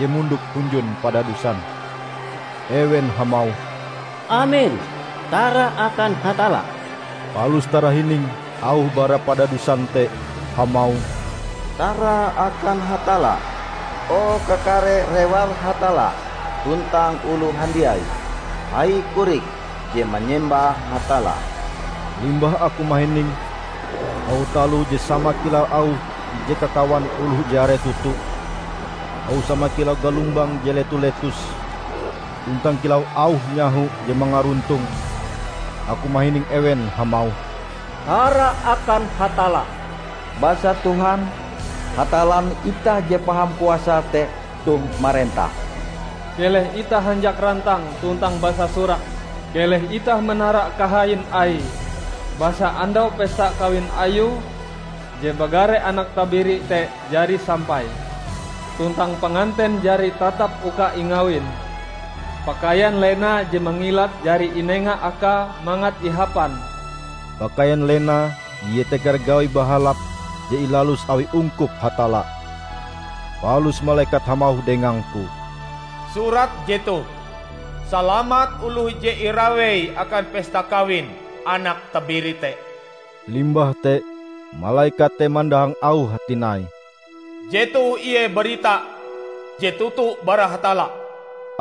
je mondok hunjun padadusan. Ewen hamauh, "Amen! Tara akan Hatalla!" Palus tarahining auh bara padadusan te hamauh, "Tara akan Hatalla, o kakare rewar Hatalla tuntang oloh handiai, hai korik je manyembah Hatalla!" Limbah aku mahining auh taloh je sama kilau auh ije kakawan oloh je are toto, auh sama kilau galumbang je leto-letos, tuntang kilau auh nyaho je mangaruntong, aku mahining ewen hamauh, "Tara akan Hatalla! Basa Tuhan, Hatallan itah je paham kuasa te toh marentah. Keleh itah hanjak rantang tuntang basasurak. Keleh itah manara kahain Aie, basa andau pesta kawin Ayue je bagare Anak Tabiri te jari sampai, tuntang panganten jari tatap uka ingawin. Pakaian lena je mangilat jari inenga Akae mangat ihapan." Pakaian lena iete kare gawi bahalap je ilalus awi ungkup Hatalla. Palus malekat hamauh dengangku, "Surat jetoh, 'Salamat oloh je irawei akan pesta kawin Anak Tabiri te.'" Limbah te, malekat te mandahang auh tinai, "Jetoh ie barita je toto bara Hatalla."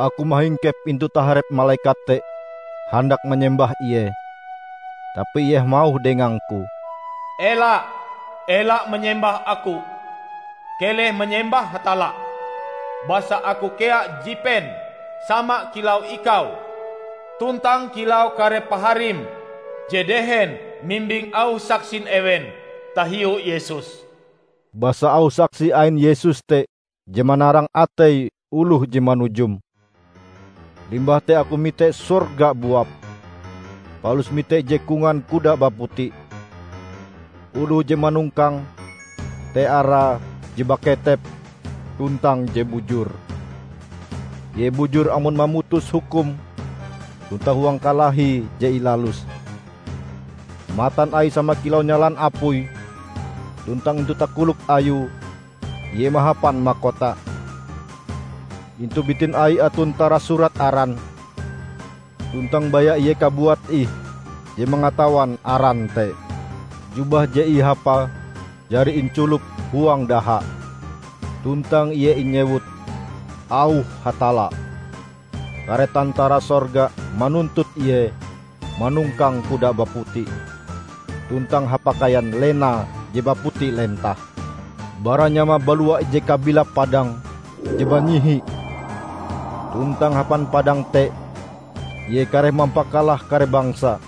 Aku mahingkep intu taharep malekat te handak manyembah ie. Tapi ie hamauh dengangku, "Ela, ela manyembah aku! Keleh manyembah Hatalla! Basa aku kea jipen sama kilau ikau, tuntang kilau kare paharim je dehen mimbing auh saksin ewen tahiu Yesus." Basa auh saksi ain Yesus te je manarang atei oloh je manujum. Limbah te aku mite sorga buap, palus mite ije kongan kuda baputi. Oloh je manongkange te arae Je Baketep tuntang Je Bujur. Ie bujur amon mamutus hukum tuntang huang kalahi je ilaluse. Matan Aie sama kilau nyalan apui, tuntang intu takolok Ayue Ie mahapan makota. Intu bitin Aie aton tarasurat aran, tuntang baya Ie kabuat ih je mangatawan aran te. Jubah je ihapae jari inculop huang daha, tuntang ie inyewut Auh Hatalla. Kare tantara sorga manuntut Ie manongkang kuda baputi, tuntang hapakaian lena je baputi lentah. Bara nyamae balua ije kabilap padang je banyihi Tuntang hapan padang te, ie kareh mampakalah kare bangsa,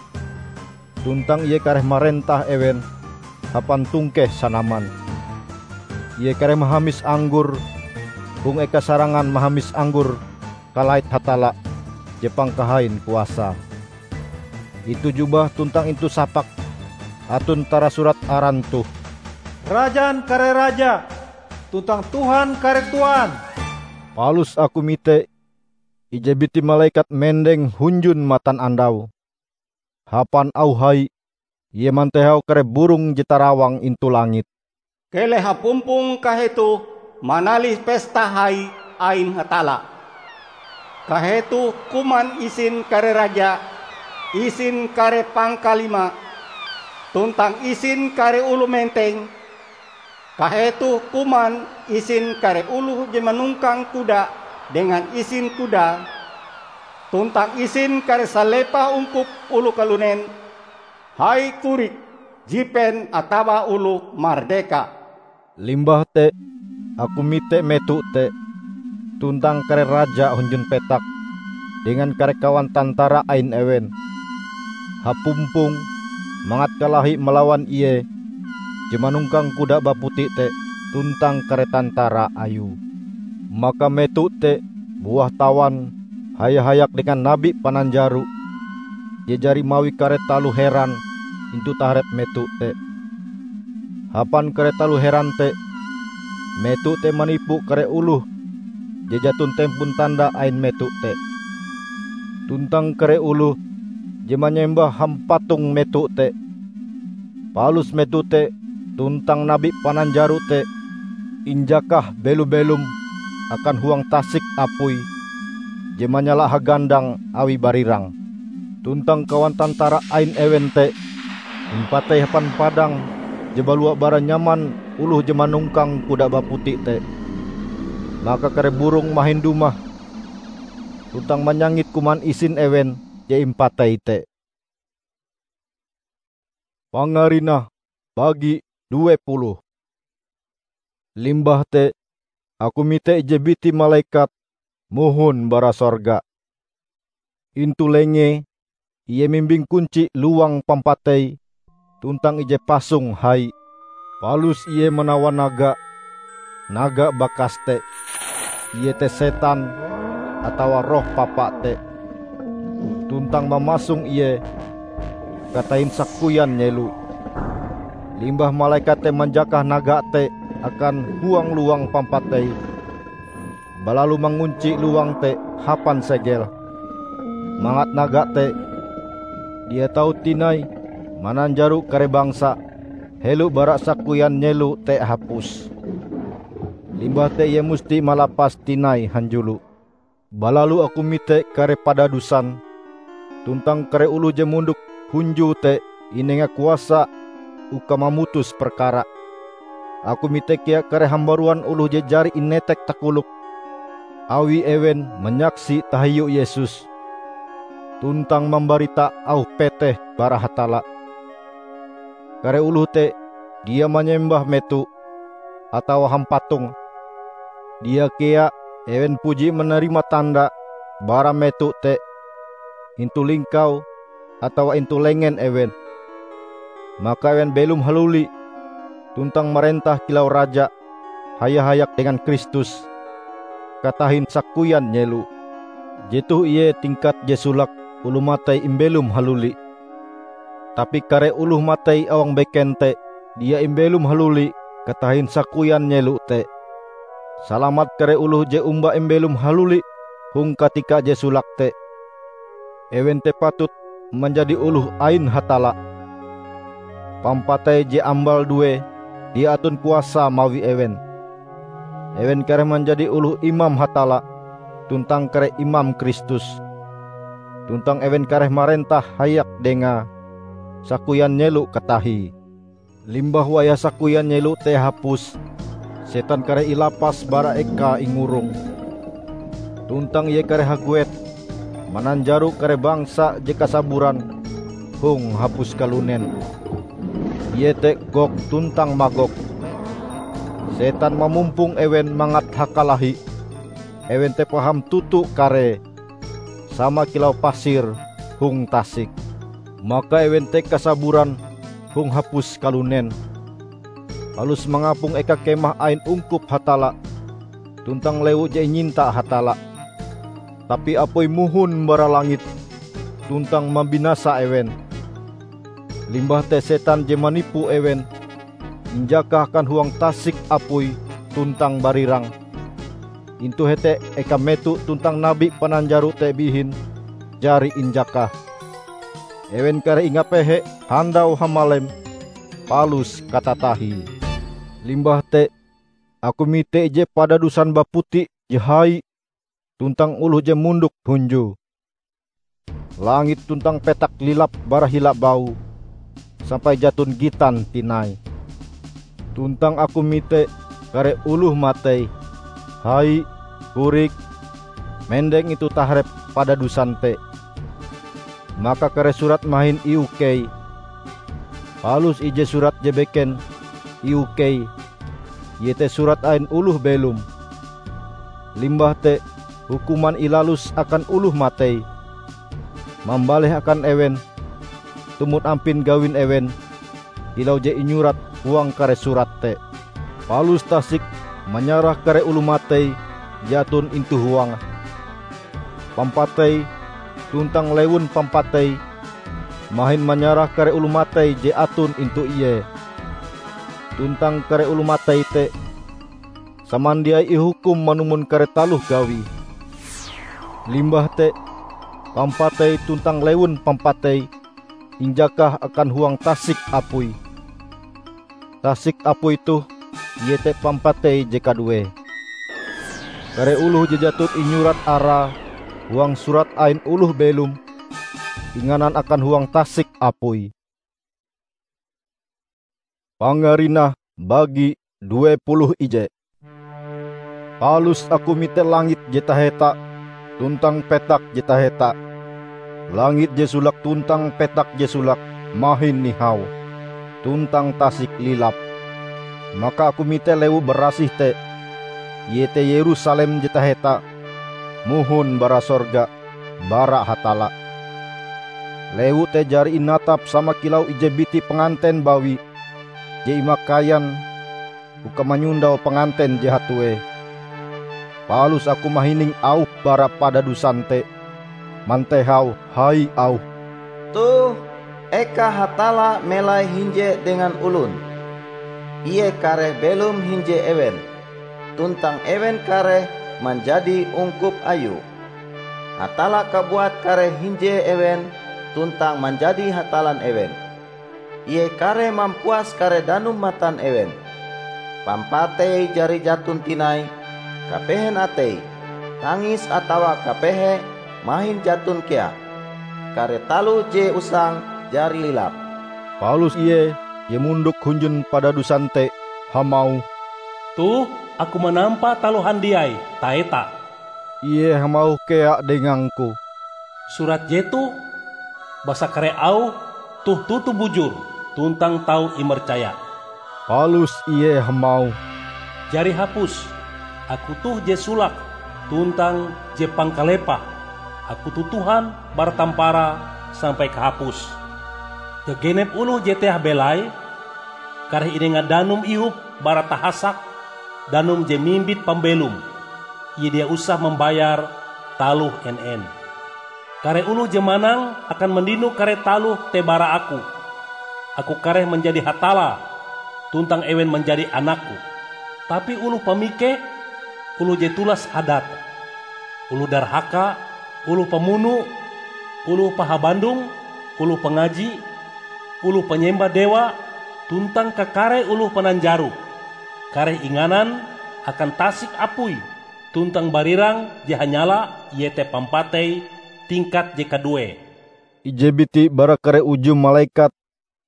tuntang ie kareh marentah ewen hapan tungkeh sanaman. Ie kareh mahamis anggor hong eka sarangan mahamis anggor kalait Hatalla je pangkahain kuasae. Intu jubah tuntang intu sapak aton tarasurat aran toh, "Rajan kare raja, tuntang Tuhan kare tuan." Palus aku mite ije biti malekat mendeng hunjun matanandau. Hapan auh hai, ie mantehau kare burong je tarawang intu langit, "Keleh hapumpong kahetoh manalih pesta hai ain Hatalla. Kahetoh kuman isin kare raja, isin kare pangkalima, tuntang isin kare oloh menteng. Kahetoh kuman isin kare oloh je manongkang kuda dengan isin kuda, tuntang isin kare salepah ungkup oloh kalunen, hai korik, jipen atawa oloh mardeka." Limbah te aku mite meto te, tuntang kare raja hunjun petak dengan kare kawan tantara ain ewen, hapumpong mangat kalahi malawan ie je manongkang kuda baputi te tuntang kare tantara ayue. Maka meto te buah tawan haya-hayak dengan nabi pananjaro je jari mawi kare taloh heran intu taharep meto te. Hapan kare taloh heran te, meto te manipu kare oloh je jaton tempon tanda ain meto te, tuntang kare oloh je manyembah hampatong meto te. Palus meto te tuntang nabi pananjaro te injakah belo-belom akan huang tasik apui je manyala hagandang awi barirang. Tuntang kawan tantara ain ewen te impatei hapan padang je balua bara nyaman oloh je manongkang kuda baputi te. Maka kare burong mahin dumah tuntang manyangit kuman isin ewen je impatei te. Pangarinah bagi due puluh. Limbah te aku mite ije biti malekat mohon bara sorga. Intu lengee ie mimbing kunci lowang pampatei tuntang ije pasong hai. Palus ie manawan naga, naga bakas te, iete setan atawa roh papa te, tuntang mamasong ie katahin sakoyan nyelo. Limbah malekat te manjakah naga te akan huang lowang pampatei, balalu mangunci lowang te hapan segel, mangat naga te dia tau tinai mananjaro kare bangsa helo bara sakoyan nyelo te hapus. Limbah te ie musti malapas tinai hanjulo. Balalu aku mite kare padadusan, tuntang kare oloh je mondok hunjue te inenga kuasa uka mamutus perkara. Aku mite kea kare hambaruan oloh je jari inetek takolok, awi ewen manyaksi tahiu Yesus, tuntang mambarita auh peteh bara Hatalla. Kare oloh te dia manyembah meto atawa hampatong. Dia kea ewen puji manarima tanda bara meto te intu lingkau atawa intu lengen ewen. Maka ewen belom haluli tuntang marentah kilau raja haya-hayak dengan Kristus katahin sakoyan nyelo. Jetoh ie tingkat je solake oloh matei imbelom haluli. Tapi kare oloh matei awang beken te dia imbelom haluli katahin sakoyan nyelo te. Salamat kare oloh je omba imbelom haluli hong katika je solake te! Ewen te patut manjadi oloh ain Hatalla. Pampatei je ambal due dia aton kuasae mawi ewen. Ewen kareh manjadi oloh imam Hatalla tuntang kare imam Kristus, tuntang ewen kareh marentah hayak Dengae sakoyan nyelo katahie. Limbah wayah sakoyan nyelo te hapus, setan kareh ilapas bara ekae ingurong, tuntang ie kareh haguet mananjaro kare bangsa je kasaburan hong hapus kalunen, iete Gog tuntang Magog. Setan mamumpong ewen mangat hakalahi, ewen te paham toto karee, sama kilau pasir hong tasik. Maka ewen te kasaburan hong hapus kalunen, palus mangapong eka kemah ain ungkup Hatalla tuntang lewu je inyinta Hatalla. Tapi apui mohon bara langit tuntang mambinasa ewen. Limbah te setan je manipu ewen injakah akan huang tasik apui tuntang barirang. Intu hete eka meto tuntang nabi pananjaro te bihin jari injakah. Ewen kareh ingapehe handau hamalem palus katatahie. Limbah te aku mite ije padadusan baputi je hai tuntang oloh je mondok hunjue. Langit tuntang petak lilap bara hila baue sampai jaton gitan tinai. Tuntang aku mite kare oloh matei, hai, korik, mendeng intu taharep padadusan te. Maka kare surat mahin iukei. Palus ije surat je beken iukei, iete surat ain oloh belom. Limbah te hukuman ilalus akan oloh matei, mambaleh akan ewen tumon ampin gawin ewen, kilau je inyurat huang kare surat te. Palus tasik manyarah kare oloh matei je aton intu huange. Pampatei tuntang lewun pampatei mahin manyarah kare oloh matei je aton intu ie. Tuntang kare oloh matei te samandiai ihukum manumon kare taloh gawie. Limbah te, pampatei tuntang lewun pampatei injakah akan huang tasik apui. Tasik apui toh iete pampatei je kaduee. Kare oloh je jaton inyurat arae huang surat ain oloh belom inganan akan huang tasik apui. Pangarinah bagi due puluh ije. Palus aku mite langit je taheta tuntang petak je taheta. Langit je solake tuntang petak je solake mahin nihau, tuntang tasik lilap. Maka aku mite lewu barasih te, iete Yerusalem je taheta, mohon bara sorga, bara Hatalla. Lewu te jari inatap sama kilau ije biti panganten bawi je imakaian uka manyondau panganten je hatuee. Palus aku mahining auh bara padadusan te mantehau hai auhe, "Toh, eka Hatalla melai hinje dengan olon. Ie kareh belom hinje ewen, tuntang ewen kareh manjadi ungkup Ayue. Hatalla kabuat kareh hinje ewen tuntang manjadi Hatallan ewen. Ie kareh mampuas kare danum matan ewen. Pampatei jari jaton tinai, kapehen atei, tangis atawa kapehe mahin jaton kea. Kare taloh je usang jari lilap." Palus ie je mondok hunjun padadusan te hamauh, "Toh, aku manampa taloh handiai taeta." Ie hamauh kea dengangku, "Surat jetoh, basa kare auh toh toto bujur tuntang tau imercaya." Palus ie hamauh, "Jari hapus! Aku toh je solake tuntang je pangkalepah. Aku toh Tuhan bara tamparae sampai kahapuse. Gagenep oloh je teah belaie, kareh inenga danum ihop bara tahasak danum je mimbit pambelom. Ie dia usah mambayar taloh en-en. Kare oloh je manang akan mandino kare taloh te bara Aku. Aku kareh manjadi Hatalla, tuntang ewen manjadi anak-Ku. Tapi oloh pamikeh, oloh je tulas hadat, oloh darhaka, oloh pamuno, oloh pahabandong, oloh pangaji, oloh panyembah dewa, tuntang kakare oloh pananjaro, kareh inganan akan tasik apui tuntang barirang je hanyala, iete pampatei tingkat je kaduee." Ije biti bara kare uju malekat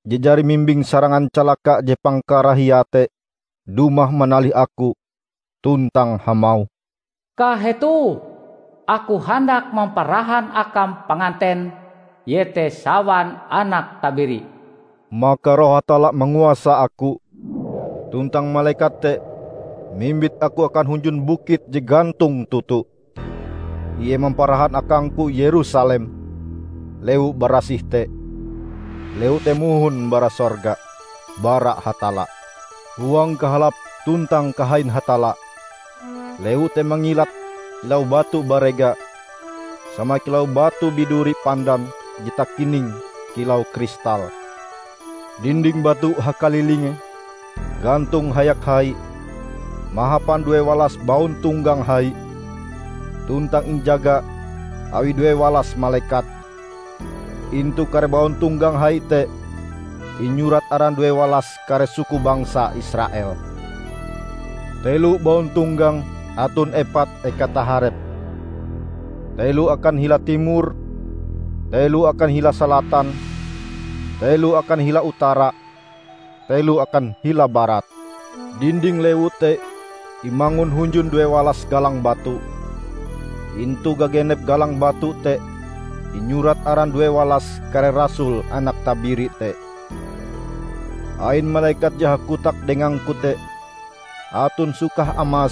je jari mimbing sarangan calaka je pangkarahiae te dumah manalih aku tuntang hamauh, "Kahetoh, aku handak mamparahan akam panganten, iete sawan anak tabiri." Maka Roh Hatalla manguasa aku, tuntang malekat te mimbit aku akan hunjun bukit je gantong toto. Ie mamparahan akangku Yerusalem, lewu barasih te, lewu te mohon bara sorga, bara Hatalla. Huang kahalap tuntang kahain Hatalla, lewu te mangilat kilau batu barega, sama kilau batu biduri pandan je takining kilau kristal. Dinding batu hakalilinge, gantong hayak hai, mahapan due walas bauntonggang hai, tuntang injaga awi due walas malekat. Intu kare bauntonggang hai te inyurat aran due walas kare suku bangsa Israel. Telo bauntonggang aton epat eka taharep. Telo akan hila timor, telo akan hila salatan, telo akan hila utara, telo akan hila barat. Dinding lewu te imangun hunjun due walas galang batu. Intu gagenep galang batu te inyurat aran due walas kare rasul Anak Tabiri te. Ain malekat je hakotak dengangku te aton sukah amas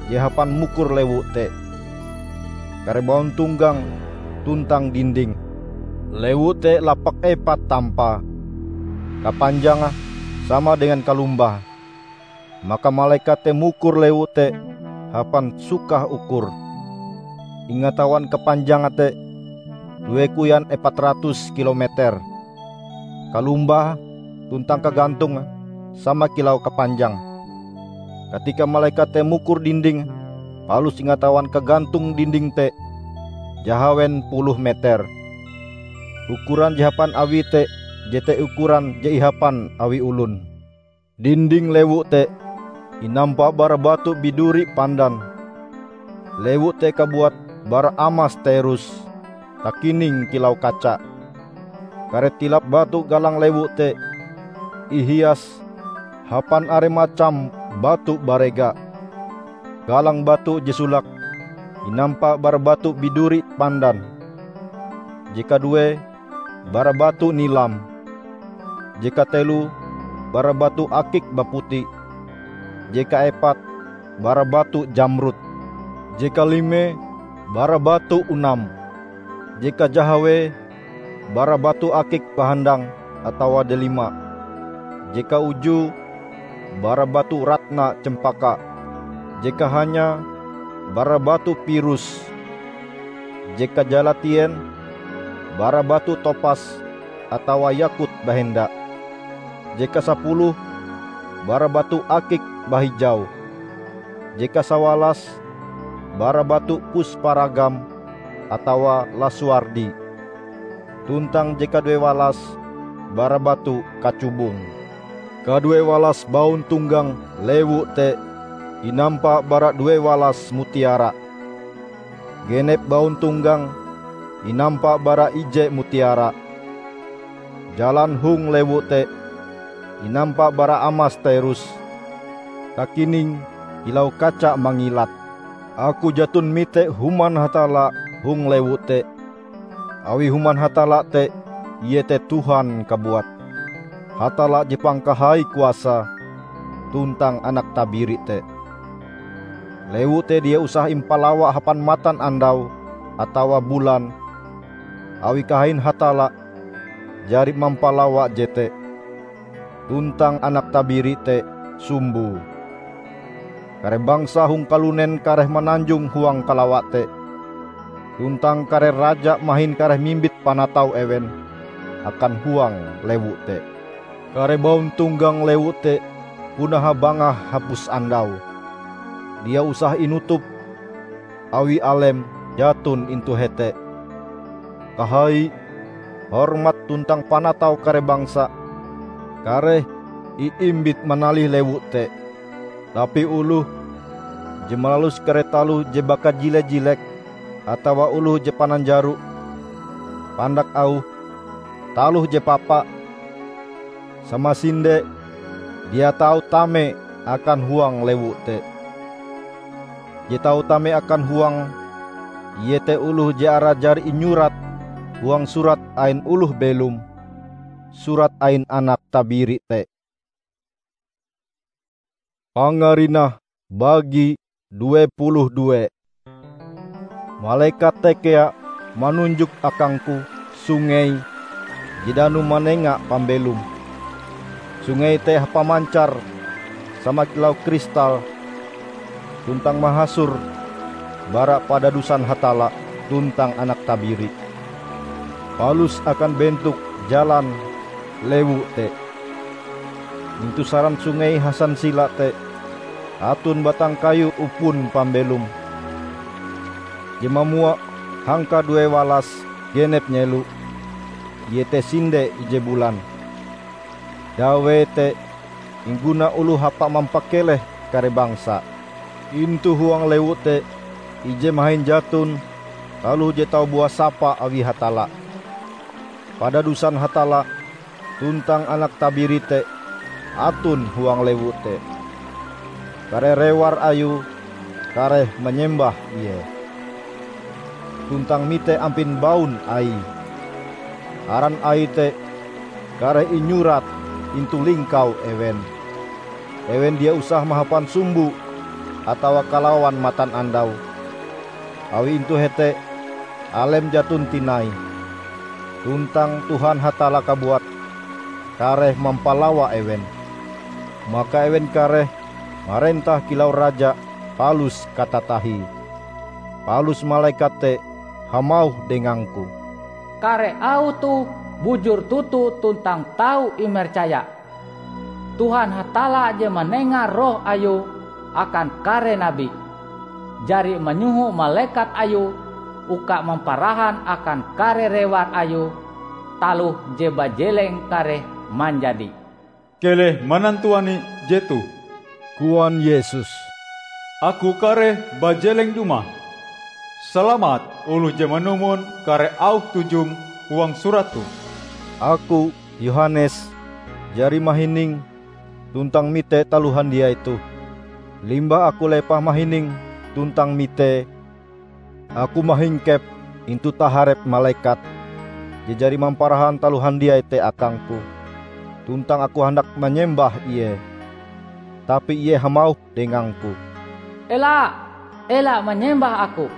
je hapan mukur lewu te, kare bauntonggang tuntang dinding. Lewu te lapak epat tampae, kapanjange sama dengan kalumbah. Maka malekat te mukur lewu te hapan sukah ukur. Ingatawan kapanjange te due koyan epat ratus kilometer. Kalumbah tuntang kagantonge sama kilau kapanjang. Katika malekat te mukur dinding, palus ingatawan kagantong dinding te jahawen puluh meter. Ukuran je hapan awie te jete ukuran je ihapan awi olon. Dinding lewu te inampa bara batu biduri pandan. Lewu te kabuat bara amas terus, takining kilau kaca. Kare tilap batu galang lewu te ihias hapan are macam batu barega. Galang batu je solake inampa bara batu biduri pandan. Je kaduee bara batu nilam. Je kateloe bara batu akik baputi. Je kaepat bara batu jamrud. Je kalimee bara batu onam. Je kajahawee bara batu akik bahandang atawa delima. Je kaujue bara batu ratna cempaka. Je kahanyae bara batu pirus. Je kajalatien bara batu topas atawa yakut bahenda. Je kasapuluh bara batu akik bahijau. Je kasawalas bara batu pusparagam atawa lasuardi. Tuntang je kaduewalas bara batu kacubung. Kaduewalas bauntonggang lewu te inampa bara duewalas mutiara. Genep bauntonggang inampa bara ije mutiara. Jalan hong lewu te inampa bara amas terus, takining kilau kaca mangilat. Aku jaton mite Human Hatalla hong lewu te, awi Human Hatalla te iete Tuhan kabuat, Hatalla je pangkahai kuasa tuntang Anak Tabiri te. Lewu te dia usah impalawa hapan matanandau atawa bulan, awi kahain Hatalla jari mampalawa jete, tuntang Anak Tabiri te sumboe. Kare bangsa hong kalunen kareh mananjong huang kalawa te, tuntang kare raja mahin kareh mimbit panatau ewen akan huang lewu te. Kare bauntonggang lewu te puna habangah hapus andau. Dia usah inutup, awi alem jaton intu hete. Kahai, hormat tuntang panatau kare bangsa kareh iimbit manalih lewu te. Tapi oloh je malalus kare taloh je bakajile-jilek atawa oloh je pananjaro, pandak auhe, taloh je papa, samasinde dia tau tame akan huang lewu te. Je tau tame akan huange, iete oloh je arae jari inyurat huang surat ain oloh belom, surat ain Anak Tabiri te. Pangarinah bagi due puluh due. Malekat te kea manunjok akangku sungei je dano manenga pambelom. Sungei te hapamancar sama kilau kristal tuntang mahasor bara padadusan Hatalla tuntang Anak Tabiri, palus akan bentok jalan lewu te. Intu saran sungei hasansila te aton batang kayu upon pambelom je mamua hangkadue walas genep nyelo, iete sinde ije bulan. Dawee te ingguna oloh hapa mampakeleh kare bangsa. Intu huang lewu te ije mahin jaton taloh je tau buah sapa awi Hatalla. Padadusan Hatalla tuntang Anak Tabiri te aton huang lewu te. Kare rewar Ayue kareh manyembah Ie, tuntang mite ampin baun Aie. Aran Aie te kareh inyurat intu lingkau ewen. Ewen dia usah mahapan sumbo atawa kalawan matanandau, awi intu hete alem jaton tinai, tuntang Tuhan Hatalla kabuat kareh mampalawa ewen. Maka ewen kareh marentah kilau raja palus katatahie. Palus malekat te hamauh dengangku, "Kare auh toh bujur toto tuntang tau imercaya. Tuhan Hatalla je manenga Roh Ayue akan kare nabi, jari manyoho malekat Ayue uka mamparahan akan kare rewar Ayue taloh je bajeleng kareh manjadi." "Keleh manantuani jetoh," koan Yesus. "Aku kareh bajeleng dumah. Salamat oloh je manumon kare auh tujum huang surat toh!" Aku, Yohanes, jari mahining tuntang mite taloh handiai toh. Limbah aku lepah mahining tuntang mitee, aku mahingkep intu taharep malekat je jari mamparahan taloh handiai te akangku, tuntang aku handak manyembah ie. Tapi ie hamauh dengangku, "Ela! Ela manyembah aku!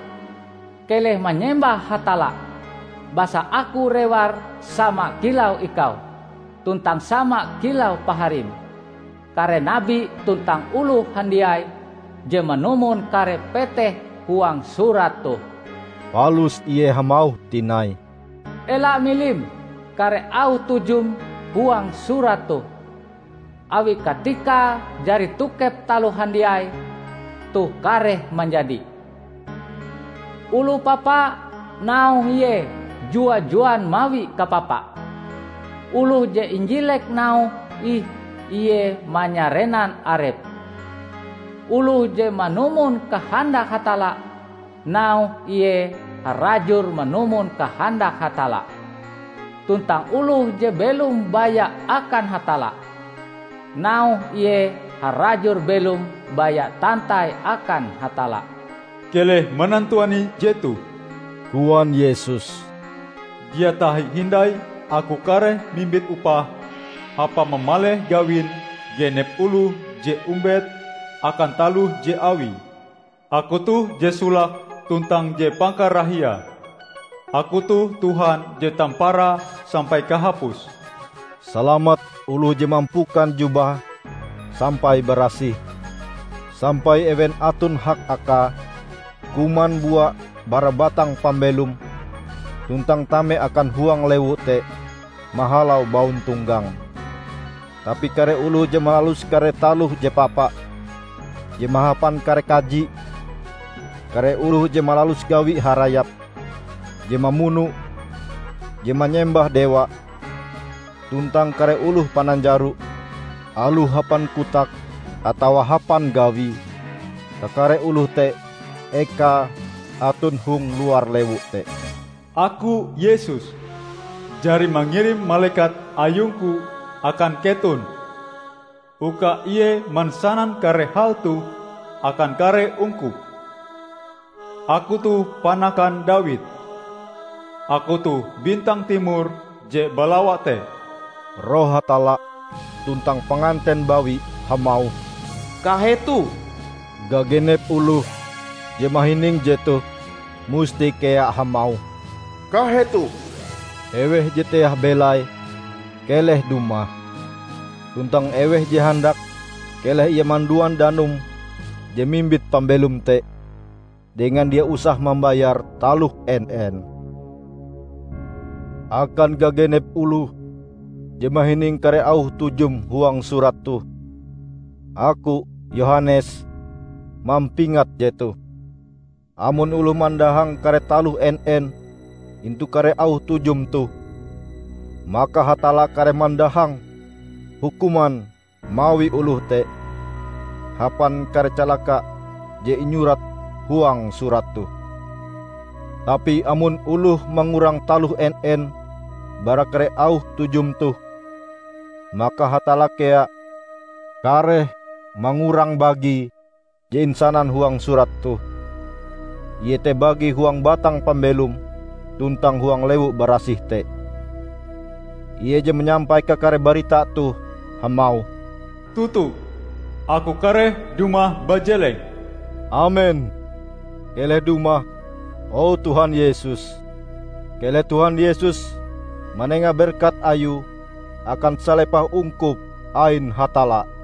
Keleh manyembah Hatalla, basa aku rewar sama kilau ikau, tuntang sama kilau paharim, kare nabi tuntang oloh handiai je manumon kare peteh huang surat toh." Palus ie hamauh tinai, "Ela milim kare auh tujum huang surat toh, awi katikae jari tokep taloh handiai toh kareh manjadi. Oloh papa, nauhe ie jua-juan mawi kapapa. Oloh je injilek nauhe ih ie manyarenan arepe. Oloh je manumon kahandak Hatalla, nauhe ie harajur manumon kahandak Hatalla. Tuntang oloh je belom baya akan Hatalla, nauhe ie harajur belom baya tantai akan Hatalla." "Keleh manantuani jetoh," koan Yesus. "Dia tahi hindai Aku kareh mimbit upah hapa mamaleh gawin genep oloh je ombet akan taloh je awie. Aku toh je solake tuntang je pangkarahiae. Aku toh Tuhan je tamparae sampai kahapuse. Salamat oloh je mampukan jubahe sampai barasih, sampai ewen aton hak akae kuman bua bara batang pambelom tuntang tame akan huang lewu te mahalau bauntonggang. Tapi kare oloh je malalus kare taloh je papa, je mahapan kare kaji, kare oloh je malalus gawi harayap, je mamuno, je manyembah dewa, tuntang kare oloh pananjaro, aloh hapan kotak atawa hapan gawie, kakare oloh te ekae aton hong luar lewu te." "Aku, Yesus, jari mangirim malekat Ayungku akan keton, uka ie mansanan kare hal toh akan kare ungkup. Aku toh panakan Dawid. Aku toh bintang timor je balawa te." Roh Hatalla tuntang panganten bawi hamauh, "Kahetoh!" Gagenep oloh je mahining jetoh musti kea hamauh, "Kahetoh! Eweh je teah belai, keleh dumah! Tuntang eweh je handak, keleh ie manduan danum je mimbit pambelom te, dengan dia usah mambayar taloh en-en." Akan gagenep oloh je mahining kare auh tujum huang surat toh, Aku, Yohanes, mampingat jetoh. Amon oloh mandahang kare taloh en-en intu kare auh tujum toh, maka Hatalla kareh mandahang hukuman mawi oloh te hapan kare calaka je inyurat huang surat toh. Tapi amon oloh mangurang taloh en-en bara kare auh tujum toh, maka Hatalla kea kareh mangurang bagie je insanan huang surat toh, iete bagie huang batang pambelom tuntang huang lewu barasih te. Ie je manyampai kakare barita toh hamauh, "Toto, Aku kareh dumah bajeleng." Amen! Keleh dumah, o Tuhan Yesus! Keleh Tuhan Yesus manenga berkat Ayue akan salepah ungkup ain Hatalla.